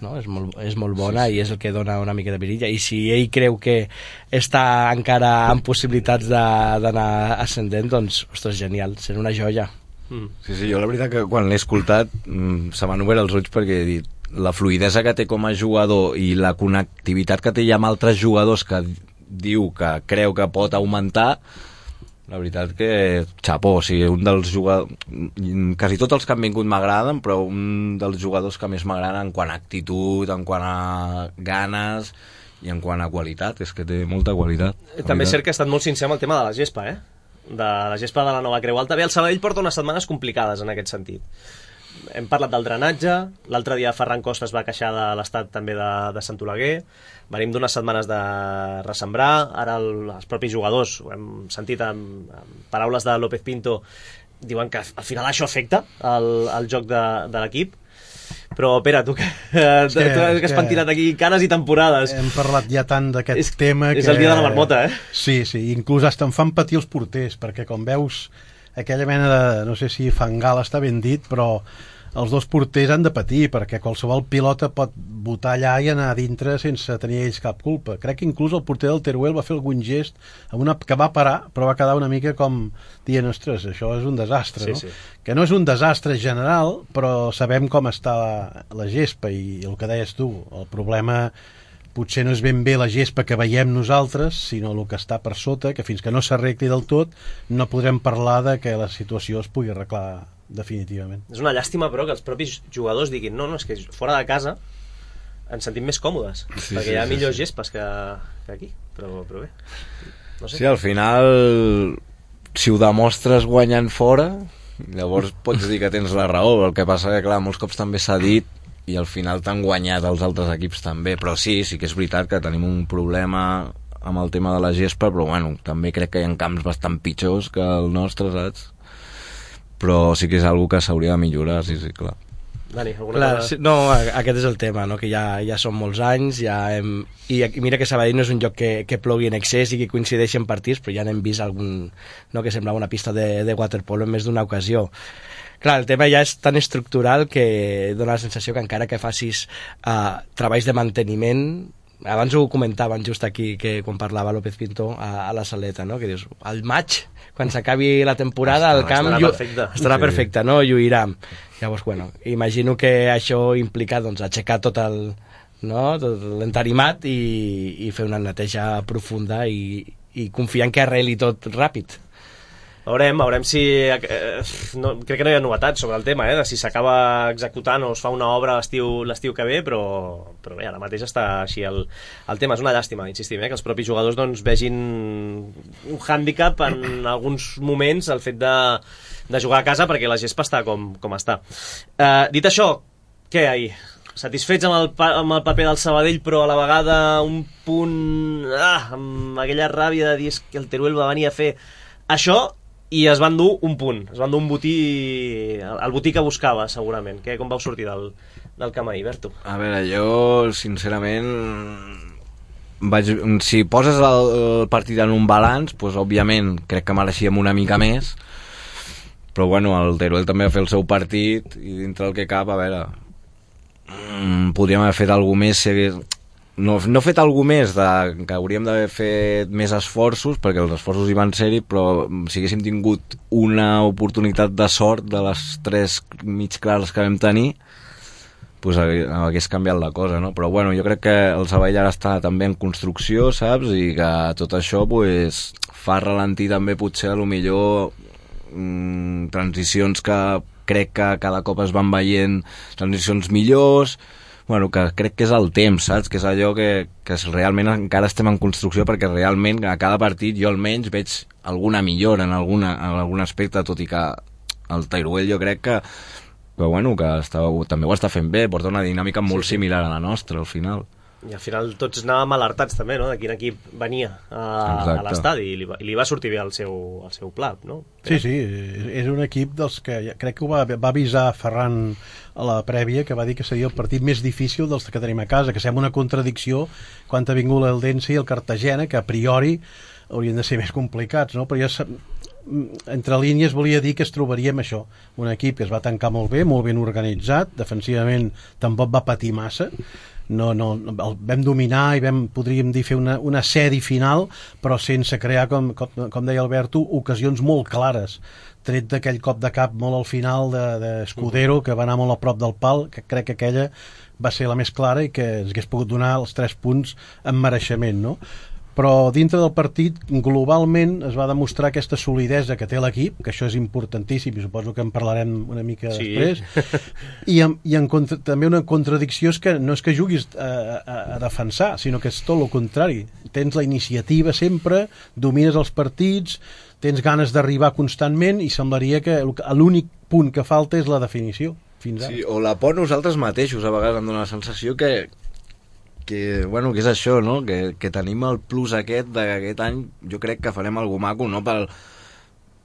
no? és molt, és molt bona, sí, sí. I és el que dona una mica de virilla, i si ell creu que està encara amb possibilitats d'anar ascendent, doncs, ostres, genial, serà una joia. Mm. Sí, sí, jo la veritat que quan l'he escoltat mm, se m'han obert els ulls, perquè he dit la fluïdesa que té com a jugador i la connectivitat que té ja amb altres jugadors que diu que creu que pot augmentar, la veritat que xapó, o sigui, un dels jugadors, quasi tots els que han vingut m'agraden, però un dels jugadors que més m'agraden en quant a actitud, en quant a ganes i en quant a qualitat, és que té molta qualitat. També és cert que ha estat molt sincer amb el tema de la gespa, eh? De la gespa de la nova Creu Alta. Bé, el Sabadell porta unes setmanes complicades en aquest sentit. hem parlat del drenatge, l'altre dia Ferran Costa es va queixar de l'estat també de, de Sant Oleguer, venim d'unes setmanes de ressembrar, ara el, els propis jugadors, ho hem sentit amb, amb paraules de López Pinto, diuen que al final això afecta el, el joc de, de l'equip. Però, Pere, tu que, és que, tu que has pentinat aquí canes i temporades. Hem parlat ja tant d'aquest tema és que... És el dia de la marmota, eh? Sí, sí, inclús hasta em fan patir els porters, perquè com veus aquella mena de, no sé si fangal està ben dit, però els dos porters han de patir, perquè qualsevol pilota pot botar allà i anar a dintre sense tenir ells cap culpa. Crec que inclús el porter del Teruel va fer algun gest amb una, que va parar, però va quedar una mica com dient, ostres, això és un desastre, sí, no? Sí. Que no és un desastre general, però sabem com està la, la gespa, i el que deies tu, el problema potser no és ben bé la gespa que veiem nosaltres, sinó el que està per sota, que fins que no s'arregli del tot no podrem parlar de que la situació es pugui arreglar definitivament. És una llàstima, però, que els propis jugadors diguin no, no, és que fora de casa ens sentim més còmodes, sí, perquè sí, hi ha sí, millors sí. gespes que, que aquí, però, però bé, no sé. Sí, al final si ho demostres guanyant fora, llavors pots dir que tens la raó. El que passa que, clar, molts cops també s'ha dit i al final t'han guanyat els altres equips també, però sí, sí que és veritat que tenim un problema amb el tema de la gespa, però bueno, també crec que hi ha camps bastant pitjors que el nostre, saps? Però sí que és algo que s'hauria de millorar, sí, sí, clar. Dani, alguna clar, cosa? Sí, no, aquest és el tema, no? Que ja, ja són molts anys, ja hem... i mira que Sabadell no és un lloc que, que plogui en excés i que coincideixi en partits, però ja n'hem vist algun, no, que semblava una pista de, de waterpolo en més d'una ocasió. Clar, el tema ja és tan estructural que dona la sensació que encara que facis uh, treballs de manteniment, abans ho comentaven just aquí, que quan parlava López Pinto a, a la Saleta, no? Que dius, al maig, quan s'acabi la temporada, el camp estarà perfecte, estarà sí. perfecte, no? Lluirà. Llavors, bueno, imagino que això implica, doncs, aixecar tot el, no? Tot l'entarimat i, i fer una neteja profunda i, i confiar en que arreli tot ràpid. Veurem, veurem si... Eh, no, crec que no hi ha novetats sobre el tema, eh, de si s'acaba executant o es fa una obra l'estiu l'estiu que ve, però, però bé, ara mateix està així el, el tema. És una llàstima, insistim, eh, que els propis jugadors doncs, vegin un hàndicap en alguns moments el fet de, de jugar a casa perquè la gespa està com, com està. Eh, dit això, què ahir? Satisfets amb el, amb el paper del Sabadell, però a la vegada un punt... Ah, amb aquella ràbia de dir que el Teruel va venir a fer això i es van dur un punt, es van dur un botí, el botí que buscava, segurament. Que, com vau sortir del, del camp ahir, Berto? A veure, jo, sincerament, vaig, si poses el, el partit en un balanç, doncs, òbviament, crec que mereixíem una mica més, però, bueno, el Teruel també va fer el seu partit i dintre el que cap, a veure, mmm, podríem haver fet alguna més, si hagués... No, no he fet alguna més, de, que hauríem d'haver fet més esforços, perquè els esforços hi van ser-hi, però si haguéssim tingut una oportunitat de sort de les tres mig clares que vam tenir, pues hagués canviat la cosa, no? Però bueno, jo crec que el Sabadell ara està també en construcció, saps? I que tot això pues, fa ralentir també potser a lo millor mmm, transicions que crec que cada cop es van veient transicions millors. Bueno, que crec que és el temps, saps? Que és allò que, que realment encara estem en construcció, perquè realment a cada partit jo almenys veig alguna millora en, alguna, en algun aspecte, tot i que el Teruel jo crec que, que, bueno, que està, també ho està fent bé, porta una dinàmica molt sí, sí. similar a la nostra al final. I al final tots anàvem alertats també, no?, de quin equip venia a, a l'estadi i li, va, i li va sortir bé el seu, el seu pla, no? Sí, sí, és un equip dels que crec que ho va, va avisar Ferran a la prèvia, que va dir que seria el partit més difícil dels que tenim a casa, que sembla una contradicció quan ha vingut l'Eldense i el Cartagena, que a priori haurien de ser més complicats, no? Però ja entre línies volia dir que es trobaríem això, un equip que es va tancar molt bé, molt ben organitzat, defensivament tampoc va patir massa. No, no, el vam dominar i vam, podríem dir, fer una, una sèrie final, però sense crear, com, com, com deia Alberto, ocasions molt clares, tret d'aquell cop de cap molt al final d'Escudero, de, que va anar molt a prop del pal, que crec que aquella va ser la més clara i que ens hagués pogut donar els tres punts amb mereixement, no? Però dintre del partit globalment es va demostrar aquesta solidesa que té l'equip, que això és importantíssim i suposo que en parlarem una mica sí. després, i, en, i en contra, també una contradicció és que no és que juguis a, a, a defensar, sinó que és tot el contrari, tens la iniciativa sempre, domines els partits, tens ganes d'arribar constantment i semblaria que l'únic punt que falta és la definició. fins ara. Sí, o la por nosaltres mateixos, a vegades em dóna la sensació que, que, bueno, que és això, no? Que, que tenim el plus aquest d'aquest any, jo crec que farem algú maco, no pel,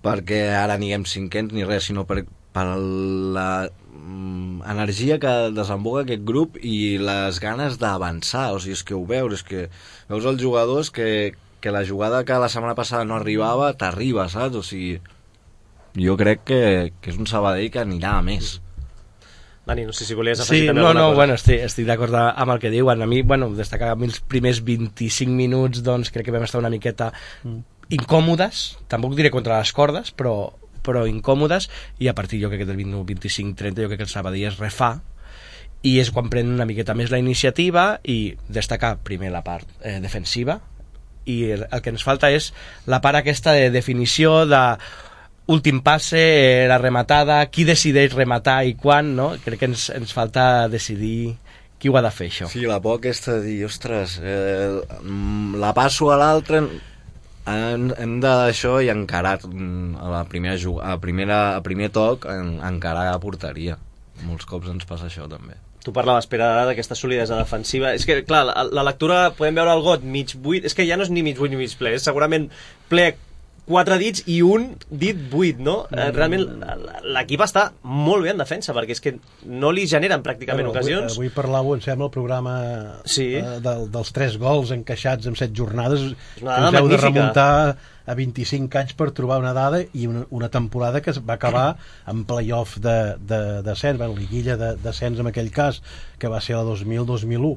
perquè ara aniguem cinquens ni res, sinó per, per la mm, energia que desemboca aquest grup i les ganes d'avançar, o sigui, és que ho veus, és que veus els jugadors que, que la jugada que la setmana passada no arribava, t'arriba, saps? O sigui, jo crec que, que és un Sabadell que anirà a més. Dani, no sé si volies afegir sí, també no, alguna no, cosa. Bueno, estic, estic d'acord amb el que diuen. A mi, bueno, destacar els primers vint-i-cinc minuts, doncs crec que vam estar una miqueta mm. incòmodes, tampoc diré contra les cordes, però, però incòmodes, i a partir jo crec que del vint-i-cinc trenta jo crec que el Sabadell es refà, i és quan pren una miqueta més la iniciativa, i destacar primer la part eh, defensiva, i el, el que ens falta és la part aquesta de definició, de últim passe, la rematada, qui decideix rematar i quan, no? Crec que ens, ens falta decidir qui ho ha de fer, això. Sí, la por aquesta de dir, ostres, eh, la passo a l'altre, hem, hem de d'això i encarar a la primera, a primera a primer toc, en, encarar a porteria. Molts cops ens passa això, també. Tu parlaves, Pere, d'aquesta solidesa defensiva. És que, clar, la, la lectura, podem veure el got mig buit, és que ja no és ni mig buit ni mig ple, és segurament ple quatre dits i un dit buit, no? Mm. Realment l'equip està molt bé en defensa, perquè és que no li generen pràcticament bueno, ocasions. Avui, avui parlàveu, em sembla, el programa sí. eh, del, dels tres gols encaixats en set jornades. És una dada us heu de magnífica. remuntar a vint-i-cinc anys per trobar una dada i una, una temporada que es va acabar en playoff de, de, de descens, bueno, liguilla de descens en aquell cas, que va ser la dos mil dos mil u.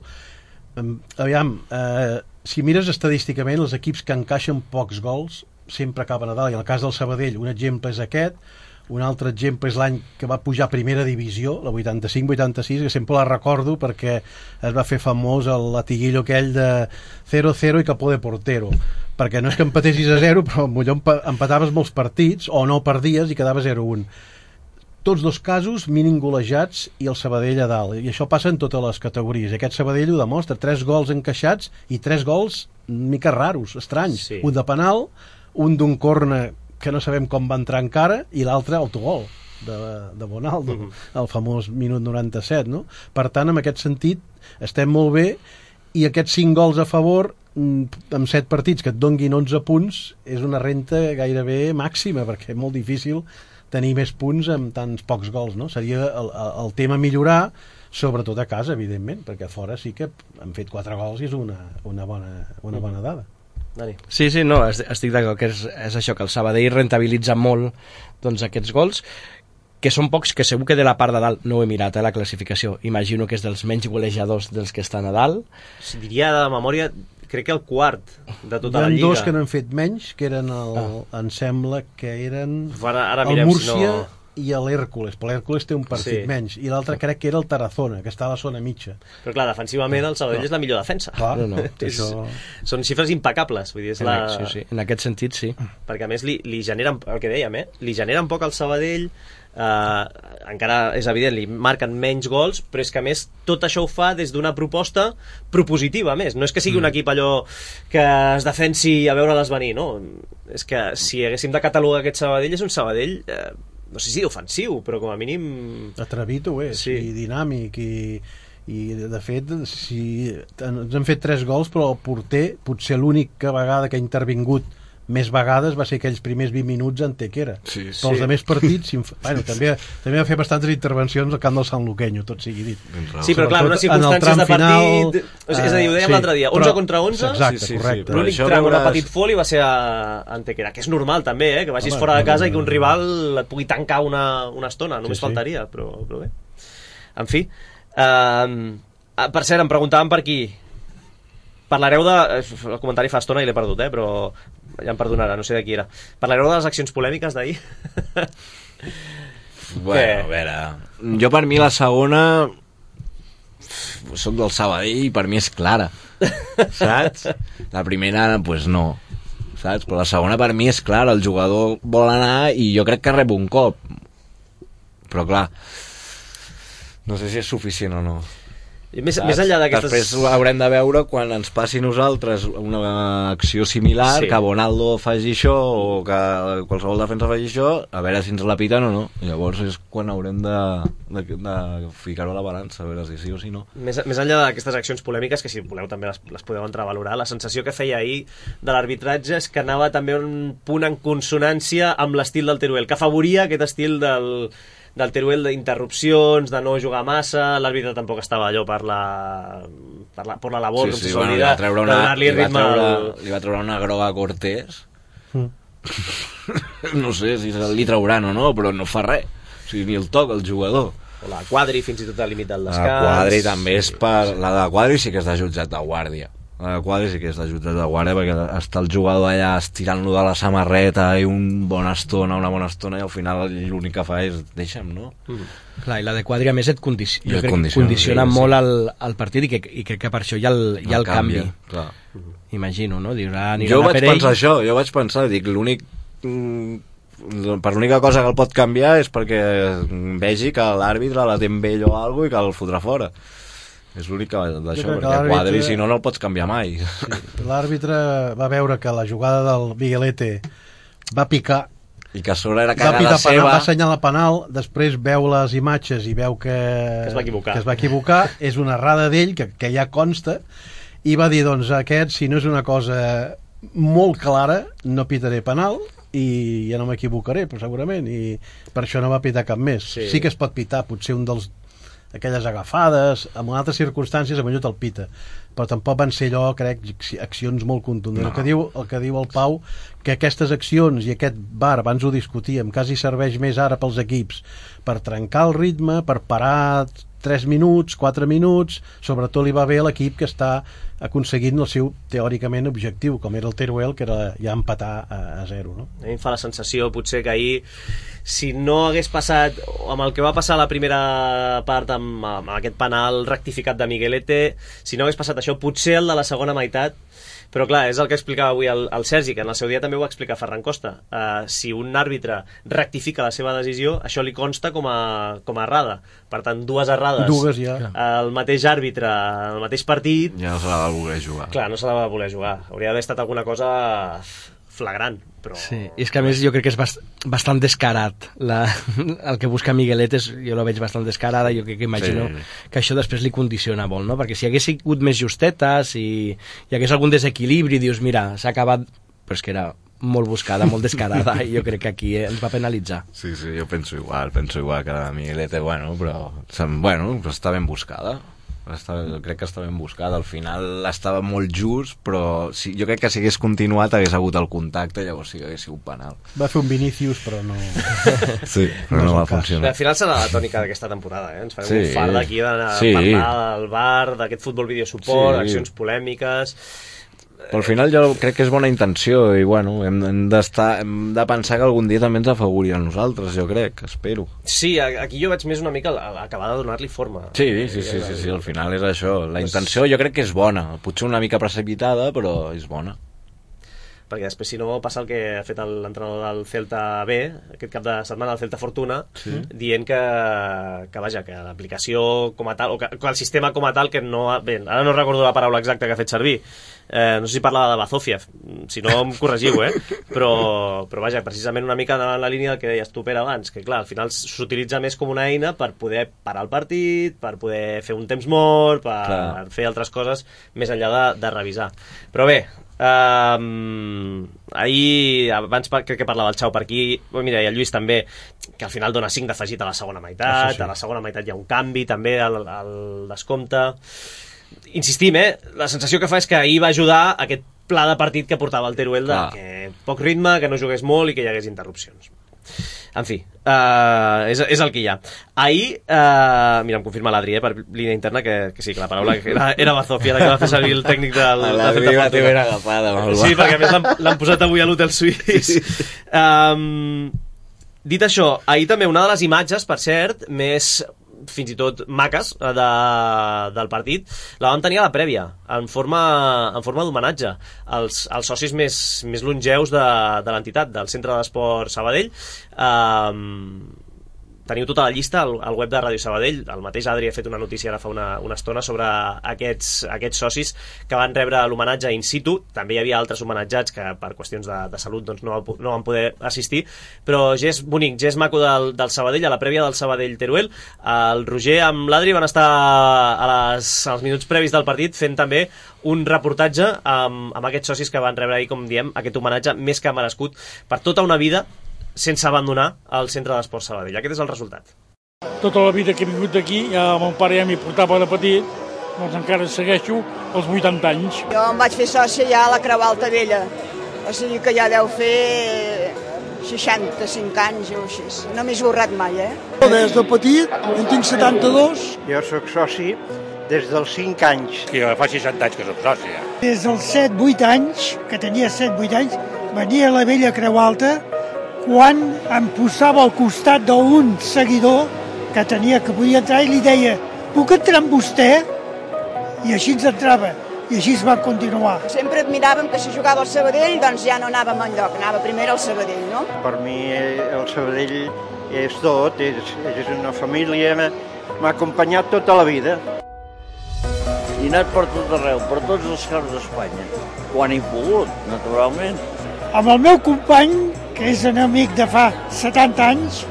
Aviam, eh, si mires estadísticament, els equips que encaixen pocs gols sempre acaben a dalt, i en el cas del Sabadell un exemple és aquest, un altre exemple és l'any que va pujar a primera divisió, la vuitanta-cinc vuitanta-sis, que sempre la recordo perquè es va fer famós el latiguillo aquell de zero cero i capó de portero, perquè no és que empatessis a zero, però potser empataves molts partits o no perdies i quedava zero un. Tots dos casos mínim golejats i el Sabadell a dalt, i això passa en totes les categories. Aquest Sabadell ho demostra, tres gols encaixats i tres gols mica raros, estranys, sí. Un de penal, un d'un corner que no sabem com va entrar encara, i l'altre autogol de, de Bonaldo, uh -huh. el famós minut noranta-set, no? Per tant, en aquest sentit estem molt bé, i aquests cinc gols a favor amb set partits que et donguin onze punts és una renta gairebé màxima, perquè és molt difícil tenir més punts amb tants pocs gols, no? Seria el, el tema millorar, sobretot a casa, evidentment, perquè a fora sí que han fet quatre gols i és una, una, bona, una bona dada. Dani. Sí, sí, no, estic d'acord que és, és això, que el Sabadell rentabilitza molt doncs, aquests gols, que són pocs, que segur que de la part de dalt no ho he mirat, eh, la classificació, imagino que és dels menys golejadors dels que estan a dalt. Diria de memòria, crec que el quart de tota la Lliga. Hi ha dos que n'han fet menys, que eren el, ah. em sembla que eren ara, ara el Múrcia si no... i l'Hèrcules, però l'Hèrcules té un partit sí. menys, i l'altre crec que era el Tarazona, que està a la zona mitja. Però clar, defensivament el Sabadell no. és la millor defensa. Clar, no, no, és, això... Són xifres impecables, vull dir, és en, la... sí, sí. En aquest sentit, sí. Perquè a més li, li generen, el que dèiem, eh? li generen poc al Sabadell, eh, encara és evident, li marquen menys gols, però és que a més tot això ho fa des d'una proposta propositiva, a més. No és que sigui mm. un equip allò que es defensi a veure-les venir, no? És que si haguéssim de catalogar aquest Sabadell, és un Sabadell... Eh, no sé si ofensiu, però com a mínim... Atrevit ho és, sí. I dinàmic, i, i de fet, si ens han fet tres gols, però el porter, potser l'única vegada que ha intervingut més vegades va ser aquells primers vint minuts en Tequera. Sí, sí. Però els altres partits, bueno, també, també va fer bastantes intervencions al camp del Sant Luqueño, tot sigui dit. Sí, però clar, unes circumstàncies de partit... Final, és a dir, ho dèiem sí, l'altre dia, onze contra onze, exacte, sí, sí, correcte. L'únic tram veuràs... de petit foli va ser a Antequera, que és normal també, eh, que vagis Home, fora de casa no, no, no. i que un rival et pugui tancar una, una estona, només sí, faltaria, sí. Però, però bé. En fi, uh, per cert, em preguntaven per aquí, parlareu de... El comentari fa estona i l'he perdut, eh, però ja em perdonarà, no sé de qui era. Parlareu de les accions polèmiques d'ahir? Bueno, a veure... Jo per mi la segona... Soc del Sabadell i per mi és clara. Saps? La primera, doncs pues no. Saps? Però la segona per mi és clara. El jugador vol anar i jo crec que rep un cop. Però clar, no sé si és suficient o no. Més, més enllà d'aquestes... Després haurem de veure quan ens passi a nosaltres una acció similar, sí. que Bonaldo faci això o que qualsevol defensa faci això, a veure si ens la piten o no. Llavors és quan haurem de, de, de ficar-ho a la balança, a veure si sí o si no. Més, més enllà d'aquestes accions polèmiques, que si voleu també les, les podeu entrar a valorar, la sensació que feia ahir de l'arbitratge és que anava també un punt en consonància amb l'estil del Teruel, que afavoria aquest estil del... del Teruel d'interrupcions, de no jugar massa, l'àrbitre tampoc estava allò per la, per la, per la labor, sí, com sí, se bueno, s'oblida, de una, donar-li li ritme treure, al... li va treure una groga a Cortés. Mm. No sé si li trauran o no, però no fa res. O sigui, ni el toc, el jugador. O la Quadri, fins i tot al límit del descans. La Quadri també és per... La de Quadri sí que és de jutjat de guàrdia. La de Quadri sí que és de jutjat de guàrdia, perquè està el jugador allà estirant-lo de la samarreta i una bona estona, una bona estona, i al final l'únic que fa és deixa'm, no? Mm. Clar, i la de Quadri a més et condici... jo et crec condiciona, que condiciona sí, molt sí. el, el partit i, que, i crec que per això hi ha el, hi ha el, el canvi, canvi. Clar. Imagino, no? Dius, ah, jo vaig per pensar ell... això, jo vaig pensar, dic, l'únic... per l'única cosa que el pot canviar és perquè vegi que l'àrbitre la té amb ell o alguna cosa i que el fotrà fora. És l'únic d'això, perquè Quadri si no no el pots canviar mai. Sí. L'àrbitre va veure que la jugada del Miguelete va picar i que a sobre era cagada cagada seva, seva, va assenyalar penal, després veu les imatges i veu que, que es va equivocar, que es va equivocar és una errada d'ell que, que ja consta, i va dir, doncs aquest, si no és una cosa molt clara, no pitaré penal i ja no m'equivocaré, però segurament, i per això no va pitar cap més. Sí, sí que es pot pitar, potser un dels aquelles agafades, en altres circumstàncies potser te'l pita, però tampoc van ser allò, crec, accions molt contundents. No. El, que diu, el que diu el Pau, que aquestes accions i aquest V A R, abans ho discutíem, quasi serveix més ara pels equips per trencar el ritme, per parar tres minuts, quatre minuts, sobretot li va bé a l'equip que està aconseguint el seu teòricament objectiu, com era el Teruel, que era ja empatar a, a zero, no? A mi em fa la sensació, potser, que ahir si no hagués passat amb el que va passar a la primera part amb, amb aquest penal rectificat de Miguelete, si no hagués passat això, potser el de la segona meitat. Però clar, és el que explicava avui el, el Sergi, que en el seu dia també ho va explicar Ferran Costa. Uh, si un àrbitre rectifica la seva decisió, això li consta com a, com a errada. Per tant, dues errades. Dues, ja. El mateix àrbitre, el mateix partit... Ja no se la va voler jugar. Clar, no se la va voler jugar. Hauria d'haver estat alguna cosa flagrant, però... Sí, i és que a més jo crec que és bast bastant descarat la, el que busca Miguelet és, jo lo veig bastant descarada, jo crec que imagino sí. que això després li condiciona molt, no? Perquè si hagués sigut més justeta, si hi hagués algun desequilibri, dius, mira, s'ha acabat, però és que era molt buscada, molt descarada, i jo crec que aquí ens va penalitzar. Sí, sí, jo penso igual, penso igual que la Miguelete, bueno, però, bueno, però està ben buscada. Està, crec que està ben buscada, al final estava molt just, però sí, jo crec que si hagués continuat hagués hagut el contacte, llavors sí que hagués sigut penal. Va fer un Vinícius, però no... Sí, però no, no va funcionar. Al final serà la tònica d'aquesta temporada, eh? Ens farem sí. un fart d'aquí de sí. parlar del V A R, d'aquest futbol videosuport, sí. accions polèmiques... Però al final jo crec que és bona intenció i bueno, hem, hem, hem de pensar que algun dia també ens afavorirà a nosaltres, jo crec, espero. Sí, aquí jo veig més una mica acabar de donar-li forma. Sí, sí, sí, sí, sí, al final és això. La intenció jo crec que és bona, potser una mica precipitada, però és bona. Perquè després, si no, passa el que ha fet l'entrenador del Celta B, aquest cap de setmana, el Celta Fortuna, sí. dient que, que vaja, que l'aplicació com a tal, o que, que el sistema com a tal, que no... Bé, ara no recordo la paraula exacta que ha fet servir, eh, no sé si parlava de Bazofiev, si no em corregiu, eh? Però, però vaja, precisament una mica en la línia del que deies tu, Pere, abans, que clar, al final s'utilitza més com una eina per poder parar el partit, per poder fer un temps mort, per clar. fer altres coses més enllà de, de revisar. Però bé, Um, ahir abans crec que parlava el Xau per aquí, oh, mira, i el Lluís també, que al final dona cinc d'afegit a la segona meitat, sí. a la segona meitat hi ha un canvi també al, al descompte. Insistim, eh? La sensació que fa és que ahir va ajudar aquest pla de partit que portava el Teruel, de que poc ritme, que no jugués molt i que hi hagués interrupcions. En fi, uh, és, és el que hi ha. Ahir, uh, mira, em confirma l'Adri, eh, per línia interna, que, que sí, que la paraula era, era Bazofia, la que va fer servir el tècnic del... L'Adri va té ben agafada. Sí, perquè a més l'han posat avui a l'hotel suís. Sí. Um, dit això, ahir també una de les imatges, per cert, més fins i tot maques de, del partit, la vam tenir a la prèvia en forma, en forma d'homenatge als, als socis més, més longeus de, de l'entitat, del Centre d'Esport Sabadell. Um, teniu tota la llista al, al web de Ràdio Sabadell. El mateix Adri ha fet una notícia ara fa una, una estona sobre aquests, aquests socis que van rebre l'homenatge in situ. També hi havia altres homenatjats que per qüestions de, de salut doncs, no, no van poder assistir, però gest bonic, gest maco del, del Sabadell, a la prèvia del Sabadell-Teruel. El Roger amb l'Adri van estar a les, als minuts previs del partit fent també un reportatge amb, amb aquests socis que van rebre ahir, com diem, aquest homenatge més que merescut per tota una vida sense abandonar el Centre d'Esports Sabadell. Aquest és el resultat. Tota la vida que he vingut aquí, ja mon pare ja m'hi portava de petit, doncs encara segueixo els vuitanta anys. Jo em vaig fer sòcia ja a la Creu Alta Vella, o sigui que ja deu fer seixanta-cinc anys o així. No m'he esborrat mai, eh? Des de petit, en tinc setanta-dos. Jo sóc soci des dels cinc anys. Que fa seixanta anys que sóc soci. Des dels set vuit anys, que tenia set vuit anys, venia a la vella Creu Alta quan em posava al costat d'un seguidor que tenia que podia entrar i li deia puc entrar amb vostè? I així ens entrava. I així es va continuar. Sempre admiràvem que si jugava al Sabadell doncs ja no anàvem enlloc, anava primer al Sabadell, no? Per mi el Sabadell és tot, és, és una família, m'ha acompanyat tota la vida. I he anat per tot arreu, per tots els camps d'Espanya, quan he pogut, naturalment. Amb el meu company, que és un amic de fa setanta anys,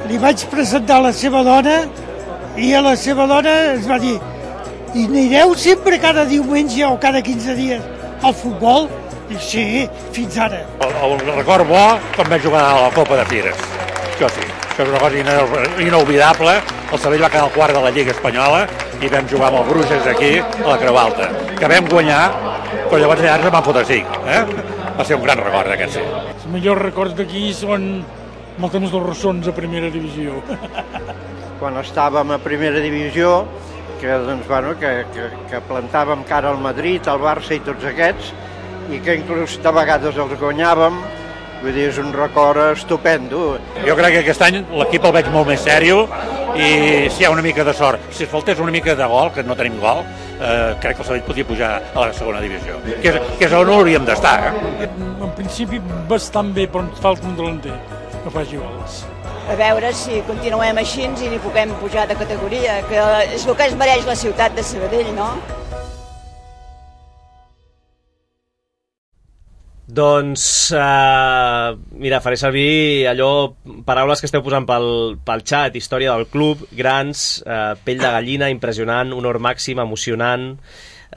li vaig presentar la seva dona i a la seva dona es va dir i anireu sempre cada diumenge o cada quinze dies al futbol? I sí, fins ara. El, el record bo quan vaig jugar a la Copa de Fires. Això sí, això és una cosa inolvidable. El Sabadell va quedar al quart de la Lliga Espanyola i vam jugar amb el Bruges aquí a la Creu Alta, que vam guanyar, però llavors ja ens en van fotre cinc. Eh? Va ser un gran record aquest, sí. Els millors records d'aquí són amb el temps dels ressons a primera divisió. Quan estàvem a primera divisió, que, doncs, bueno, que, que, que plantàvem cara al Madrid, al Barça i tots aquests, i que inclús de vegades els guanyàvem, vull dir, és un record estupendo. Jo crec que aquest any l'equip el veig molt més sèrio i si hi ha una mica de sort, si es faltés una mica de gol, que no tenim gol, eh, crec que el Sabadell podria pujar a la segona divisió, que és, que és on hauríem d'estar. Eh? En principi bastant bé, però ens falta un delanter que faci gols. A veure si continuem així i ni puguem pujar de categoria, que és el que es mereix la ciutat de Sabadell, no? Doncs, uh, mira, faré servir allò, paraules que esteu posant pel, pel xat, història del club, grans, uh, pell de gallina, impressionant, honor màxim, emocionant,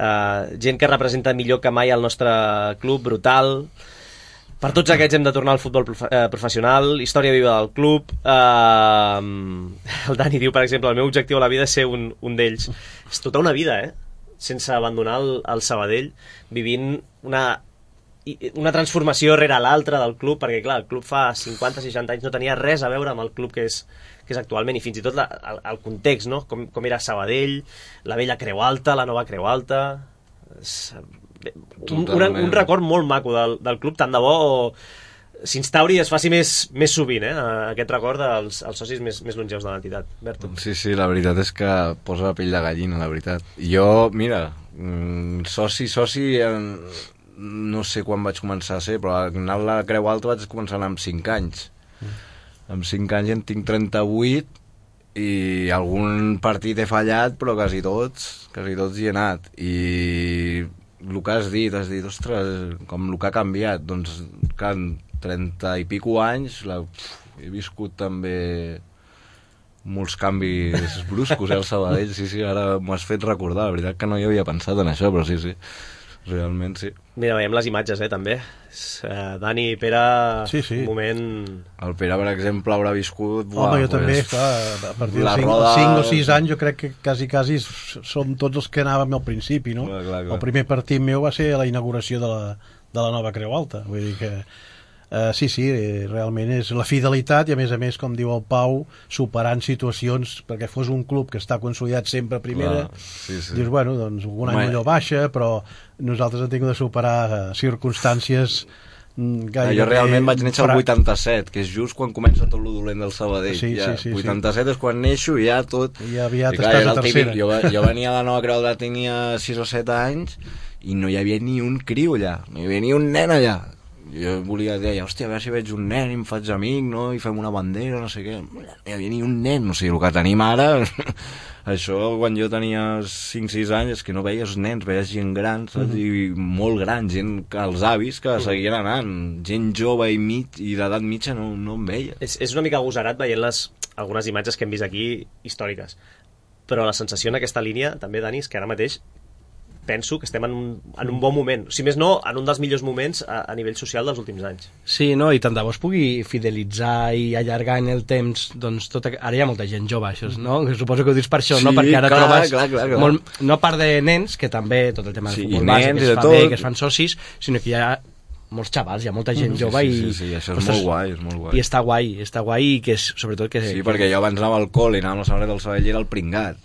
uh, gent que representa millor que mai el nostre club, brutal. Per tots aquests hem de tornar al futbol prof eh, professional, història viva del club. Uh, el Dani diu, per exemple, el meu objectiu a la vida és ser un, un d'ells. És tota una vida, eh? Sense abandonar el, el Sabadell, vivint una... una transformació rere l'altra del club, perquè clar, el club fa cinquanta seixanta anys no tenia res a veure amb el club que és, que és actualment, i fins i tot la, el, el context, no? com, com era Sabadell, la vella Creu Alta, la nova Creu Alta, és, un, un, un record molt maco del, del club, tant de bo s'instauri i es faci més, més sovint, eh? Aquest record dels els socis més, més longeus de l'entitat. Berto. Sí, sí, la veritat és que posa la pell de gallina, la veritat. Jo, mira, soci, soci... En... no sé quan vaig començar a ser, però anar a la Creu Alta vaig començar amb cinc anys. Mm. Amb cinc anys en tinc trenta-vuit i algun partit he fallat, però quasi tots, quasi tots hi he anat. I el que has dit, has dit, ostres, com el que ha canviat, doncs, que en trenta i pico anys la, he viscut també molts canvis bruscos, eh, al Sabadell. Sí, sí, ara m'ho has fet recordar, la veritat que no hi havia pensat en això, però sí, sí. Realment, sí. Mira, veiem les imatges, eh, també. Uh, Dani i Pere, sí, sí. Un moment... El Pere, per exemple, haurà viscut... Home, buah, jo pues, també, clar, a partir de cinc o sis anys jo crec que quasi, quasi som tots els que anàvem al principi, no? Clar, clar, clar. El primer partit meu va ser la inauguració de la, de la nova Creu Alta, vull dir que... Uh, sí, sí, realment és la fidelitat i a més a més, com diu el Pau, superant situacions perquè fos un club que està consolidat sempre a primera. Clar, sí, sí. Dius, bueno, doncs un any millor baixa, però nosaltres hem tingut de superar uh, circumstàncies gairebé... Jo realment vaig néixer al vuitanta-set, que és just quan comença tot lo dolent del Sabadell. Sí, ja, sí, sí, vuitanta-set sí. És quan neixo i ja tot... I aviat I, clar, estàs a tercera. Jo, jo venia a la nova Creu Alta, tenia sis o set anys i no hi havia ni un criu allà, no hi havia ni un nen allà. jo volia dir, hòstia, a veure si veig un nen i em faig amic, no? I fem una bandera, no sé què. No hi havia ni un nen, o sigui, el que tenim ara... Això, quan jo tenia cinc sis anys, és que no veies nens, veies gent gran, saps? I molt gran, gent, els avis que seguien anant, gent jove i, mig, i d'edat mitja no, no em veia. És, és una mica agosarat veient les, algunes imatges que hem vist aquí històriques, però la sensació en aquesta línia, també, Dani, és que ara mateix penso que estem en un, en un bon moment, si més no, en un dels millors moments a, a nivell social dels últims anys. Sí, no, i tant de bo es pugui fidelitzar i allargar en el temps, doncs tot, ara hi ha molta gent jove, això, no? Suposo que ho dius per això, sí, no? Perquè ara clar, trobes clar, clar, clar. Molt, no part de nens, que també tot el tema del sí, futbol base, que es fa tot. bé, que es fan socis, sinó que hi ha molts xavals, hi ha molta gent jove sí, i... Sí, sí, sí, això és ostres, molt guai, és molt guai. I està guai, està guai i que és, sobretot que... Sí, que... perquè jo abans anava al col·le i anava amb la samarreta del Sabadell i era el pringat.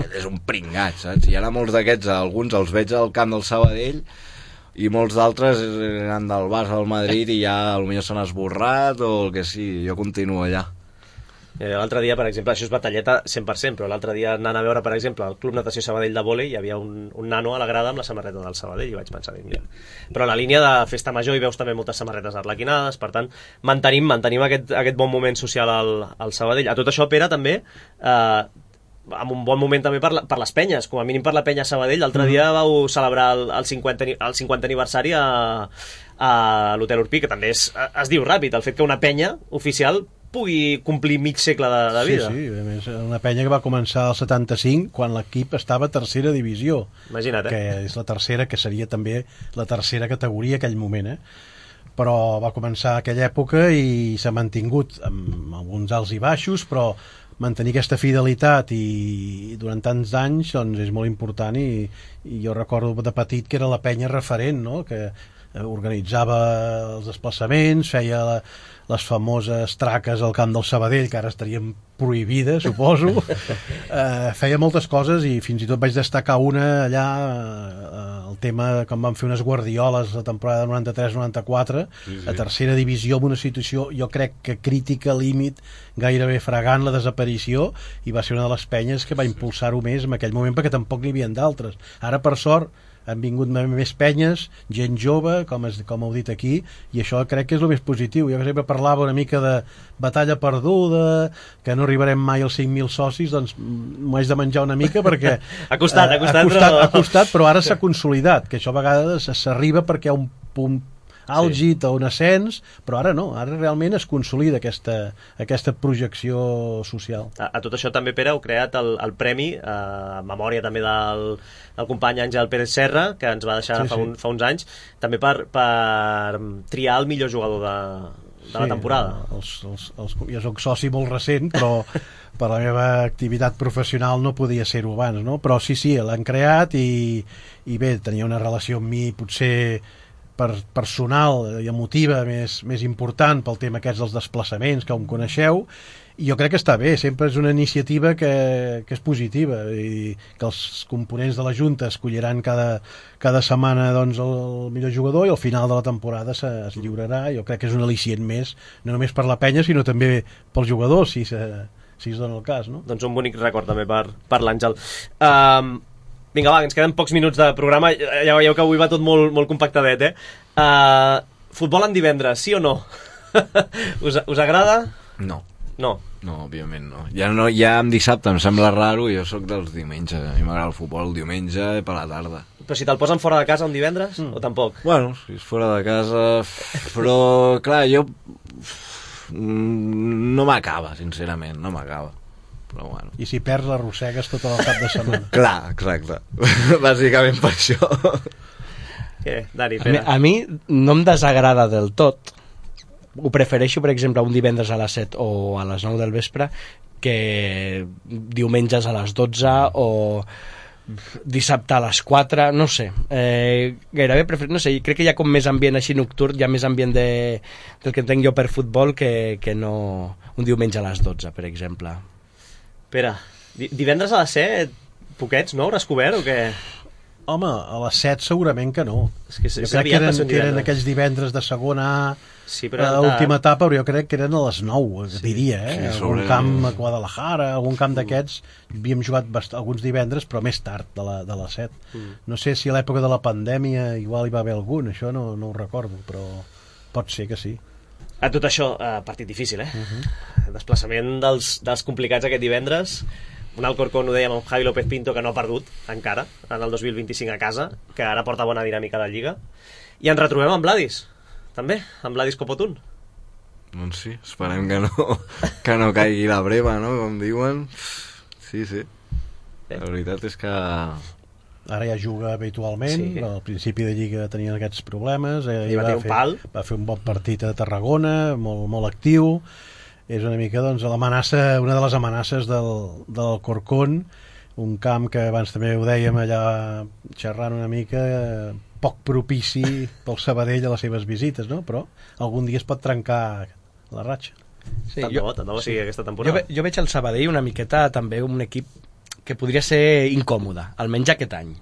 És un pringat, saps? I ara molts d'aquests, alguns els veig al camp del Sabadell i molts d'altres eren del Barça del Madrid i ja potser s'han esborrat o el que sigui, jo continuo allà. Eh, l'altre dia, per exemple, això és batalleta cent per cent, però l'altre dia anant a veure, per exemple, el Club Natació Sabadell de vòlei, hi havia un, un nano a la grada amb la samarreta del Sabadell i vaig pensar, mira. Però a la línia de festa major hi veus també moltes samarretes arlequinades, per tant, mantenim, mantenim aquest, aquest bon moment social al, al Sabadell. A tot això, Pere, també, eh, amb un bon moment també per, la, per les penyes, com a mínim per la penya Sabadell. L'altre mm. dia vau celebrar el, el, cinquanta, el cinquanta aniversari a, a l'Hotel Urpí, que també és, es diu ràpid, el fet que una penya oficial pugui complir mig segle de, de vida. Sí, sí, a més, una penya que va començar al setanta-cinc quan l'equip estava a tercera divisió. Imagina't, eh? Que és la tercera, que seria també la tercera categoria aquell moment, eh? Però va començar aquella època i s'ha mantingut amb alguns alts i baixos, però mantenir aquesta fidelitat i durant tants anys doncs és molt important i, i jo recordo de petit que era la penya referent, no? Que organitzava els desplaçaments, feia la, les famoses traques al camp del Sabadell, que ara estarien prohibides, suposo. eh, feia moltes coses i fins i tot vaig destacar una allà, eh, el tema com van fer unes guardioles la temporada noranta-tres noranta-quatre, sí, sí. A tercera divisió, amb una situació jo crec que crítica, límit, gairebé fregant la desaparició, i va ser una de les penyes que va impulsar-ho més en aquell moment, perquè tampoc n'hi havia d'altres. Ara, per sort, han vingut més penyes, gent jove, com, es, com heu dit aquí, i això crec que és el més positiu. Jo sempre parlava una mica de batalla perduda, que no arribarem mai als cinc mil socis, doncs m'ho haig de menjar una mica perquè... ha costat, ha costat, ha costat, però... ha costat, però ara s'ha consolidat, que això a vegades s'arriba perquè hi ha un punt àlgid o un ascens, però ara no, ara realment es consolida aquesta, aquesta projecció social. A, a tot això també, Pere, heu creat el, el premi, eh, en memòria també del, del company Àngel Pérez Serra, que ens va deixar sí, fa, un, sí. fa uns anys, també per, per triar el millor jugador de, de sí, la temporada. Els, els, els, jo soc soci molt recent, però per la meva activitat professional no podia ser-ho abans, no? Però sí, sí, l'han creat i, i bé, tenia una relació amb mi potser per personal i emotiva més, més important pel tema aquests dels desplaçaments que em coneixeu, i jo crec que està bé, sempre és una iniciativa que, que és positiva i que els components de la Junta escolliran cada, cada setmana doncs, el millor jugador i al final de la temporada se, es lliurarà. Jo crec que és un al·licient més, no només per la penya sinó també pels jugadors, si, se, si es dona el cas, no? Doncs un bonic record també per, per l'Àngel. Um, Vinga, va, ens queden pocs minuts de programa. Ja veieu que avui va tot molt, molt compactadet, eh? Uh, futbol en divendres, sí o no? us, us agrada? No. No? No, òbviament no. Ja, no. ja en dissabte em sembla raro, jo sóc dels diumenges. A mi m'agrada el futbol el diumenge per la tarda. Però si te'l posen fora de casa un divendres, mm. o tampoc? Bueno, si és fora de casa... Però, clar, jo... No m'acaba, sincerament, no m'acaba. Però bueno. I si perds l'arrossegues tot el cap de setmana. Clar, exacte. Bàsicament per això. Què, Dani, Pere? A mi, a mi no em desagrada del tot. Ho prefereixo, per exemple, un divendres a les set o a les nou del vespre que diumenges a les dotze o dissabte a les quatre, no sé. Eh, gairebé prefer... no sé, crec que hi ha com més ambient així nocturn, hi ha més ambient de, del que entenc jo per futbol que, que no un diumenge a les dotze, per exemple. Pere, divendres a les set, poquets, no? Hauràs cobert o què? Home, a les set segurament que no. És que jo crec que eren, que eren aquells divendres de segona A, sí, però a l'última etapa, però jo crec que eren a les nou, sí, diria, eh? Sí, algun camp a Guadalajara, algun camp d'aquests, havíem jugat bast... alguns divendres, però més tard, de, la, de les set. Mm. No sé si a l'època de la pandèmia igual hi va haver algun, això no, no ho recordo, però... Pot ser que sí. A tot això, eh, partit difícil, eh? Uh-huh. Desplaçament dels, dels complicats aquest divendres. Un Alcorcón, ho dèiem, amb Javi López Pinto, que no ha perdut encara en el dos mil vint-i-cinc a casa, que ara porta bona dinàmica de Lliga. I ens retrobem amb Vladis, també, amb Vladis Copotún. Doncs sí, esperem que no, que no caigui la breva, no?, com diuen. Sí, sí. La veritat és que... Ara ja juga habitualment, sí. Al principi de Lliga tenien aquests problemes. I va, va, fer, un pal. va fer un bon partit a Tarragona, molt, molt actiu. És una mica, doncs, l'amenaça, una de les amenaces del, del Corcón, un camp que abans també ho dèiem allà xerrant una mica, poc propici pel Sabadell a les seves visites, no? Però algun dia es pot trencar la ratxa. Sí, tant jo, bo, tant bo sí, sigui aquesta temporada. Jo, jo veig el Sabadell una miqueta també un equip que podria ser incòmode, almenys aquest any,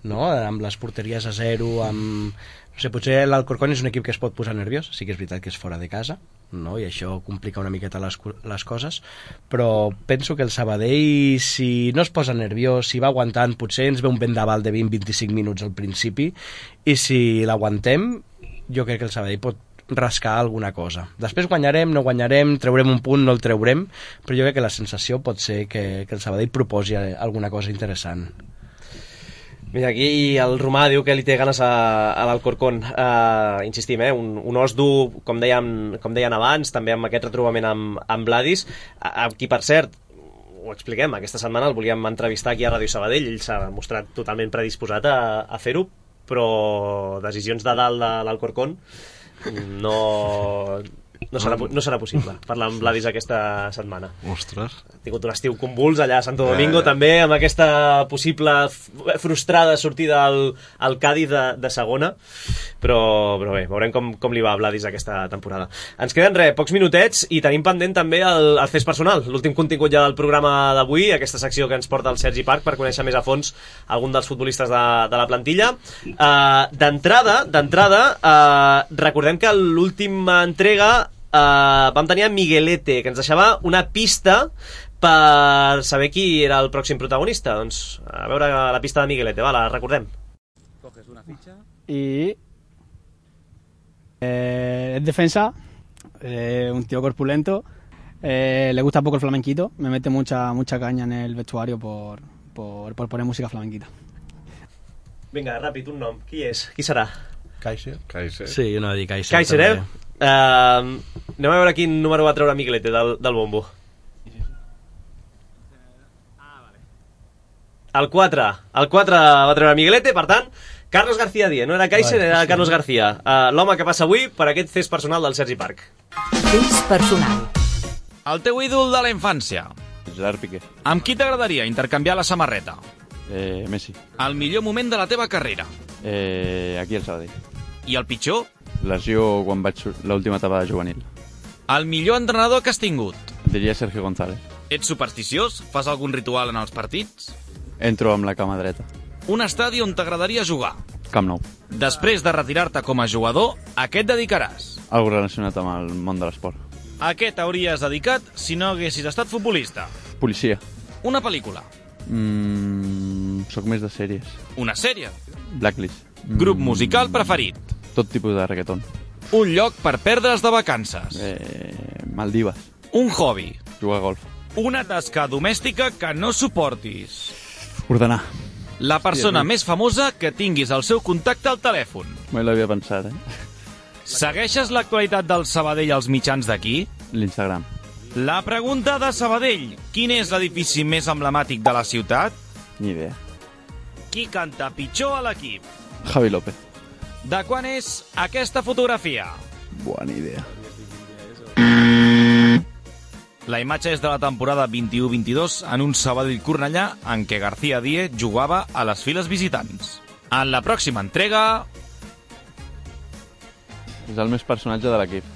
no? Amb les porteries a zero, amb... No sé, potser l'Alcorcón és un equip que es pot posar nerviós, sí que és veritat que és fora de casa, no? I això complica una miqueta les, les coses, però penso que el Sabadell, si no es posa nerviós, si va aguantant, potser ens ve un vendaval de vint a vint-i-cinc minuts al principi, i si l'aguantem, jo crec que el Sabadell pot rascar alguna cosa. Després guanyarem, no guanyarem, treurem un punt, no el treurem, però jo crec que la sensació pot ser que, que el Sabadell proposi alguna cosa interessant. Mira, aquí el Romà diu que li té ganes a, a l'Alcorcón. Uh, insistim, eh? un, un os dur, com deien, com deien abans, també amb aquest retrobament amb, amb Vladis, a, a qui, per cert, ho expliquem, aquesta setmana el volíem entrevistar aquí a Ràdio Sabadell, ell s'ha mostrat totalment predisposat a, a fer-ho, però decisions de dalt de l'Alcorcón no... No serà, no serà possible parlar amb Vladis aquesta setmana. Ostres. Ha tingut un estiu convuls allà a Santo Domingo, eh. també amb aquesta possible frustrada sortida al, al Cádiz de, de segona, però, però bé, veurem com, com li va a Vladis aquesta temporada. Ens queden res, pocs minutets, i tenim pendent també el, el Fes Personal, l'últim contingut ja del programa d'avui, aquesta secció que ens porta el Sergi Parc per conèixer més a fons algun dels futbolistes de, de la plantilla. Uh, d'entrada, d'entrada, uh, recordem que l'última entrega Uh, vam tenir a Miguelete, que ens deixava una pista per saber qui era el pròxim protagonista. Doncs a veure la pista de Miguelete, va, la recordem. Coges una ficha y eh, es defensa, eh, un tío corpulento, eh, le gusta poco el flamenquito, me mete mucha mucha caña en el vestuario por, por, por poner música flamenquita. Vinga, ràpid, un nom. Qui és? Qui serà? Kaiser. Kaiser. Sí, jo no dic Kaiser. Kaiser, eh? Uh, anem a veure quin número va treure Miguelete del, del bombo. El quatre. El quatre va treure Miguelete, per tant, Carlos García Díez. No era Kaiser, era Carlos García. Uh, L'home que passa avui per aquest Fes Personal del Sergi Parc. Fes Personal. El teu ídol de la infància. Gerard Piqué. Amb qui t'agradaria intercanviar la samarreta? Eh, Messi. El millor moment de la teva carrera. Eh, aquí al Sabadell. I el pitjor? Lesió quan vaig l'última etapa de juvenil. El millor entrenador que has tingut? Diria Sergio González. Ets supersticiós? Fas algun ritual en els partits? Entro amb la cama dreta. Un estadi on t'agradaria jugar? Camp Nou. Després de retirar-te com a jugador, a què et dedicaràs? Algo relacionat amb el món de l'esport. A què t'hauries dedicat si no haguessis estat futbolista? Policia. Una pel·lícula? Mm, soc més de sèries. Una sèrie? Blacklist. Grup musical preferit? Tot tipus de reggaeton. Un lloc per perdre's de vacances? Eh, Maldives. Un hobby? Jugar a golf. Una tasca domèstica que no suportis? Ordenar. La persona sí, més famosa que tinguis el seu contacte al telèfon? Mai l'havia pensat, eh? Segueixes l'actualitat del Sabadell als mitjans d'aquí? L'Instagram. La pregunta de Sabadell. Quin és l'edifici més emblemàtic de la ciutat? Ni idea. Qui canta pitjor a l'equip? Javi López. De quan és aquesta fotografia? Bona idea. La imatge és de la temporada vint-i-u vint-i-dos en un Sabadell Cornellà en què García Díez jugava a les files visitants. En la pròxima entrega... És el més personatge de l'equip.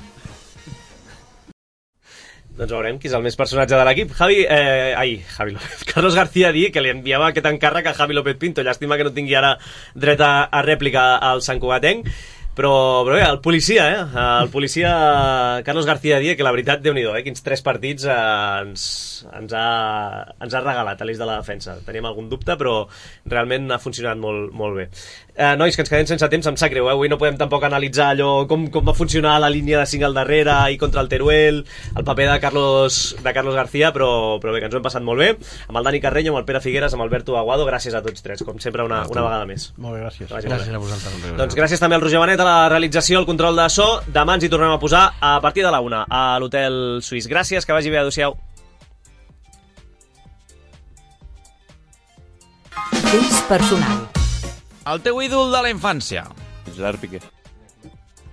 Doncs veurem qui és el més personatge de l'equip. Javi, eh, ai, Javi López. Carlos García Díez, que li enviava aquest encàrrec a Javi López Pinto. Llàstima que no tingui ara dret a, a rèplica al Sant Cugatenc. Però, però bé, el policia, eh? El policia Carlos García Díez, que la veritat, Déu-n'hi-do, eh? Quins tres partits eh, ens, ens, ha, ens ha regalat a l'eix de la defensa. Teníem algun dubte, però realment ha funcionat molt, molt bé. Eh, nois, que ens quedem sense temps, em sap greu, eh? Avui no podem tampoc analitzar allò, com, com va funcionar la línia de cinc al darrere i contra el Teruel, el paper de Carlos, de Carlos García, però, però bé, que ens ho hem passat molt bé, amb el Dani Carreño, amb el Pere Figueres, amb Alberto Aguado, gràcies a tots tres, com sempre una, una vegada més. Molt bé, gràcies. Gràcies, gràcies a vosaltres. Doncs gràcies també al Roger Benet a la realització, al control de so. Demà ens hi tornem a posar a partir de la una a l'Hotel Suís. Gràcies, que vagi bé, adéu-siau. Test personal. El teu ídol de la infància. Gerard Piqué.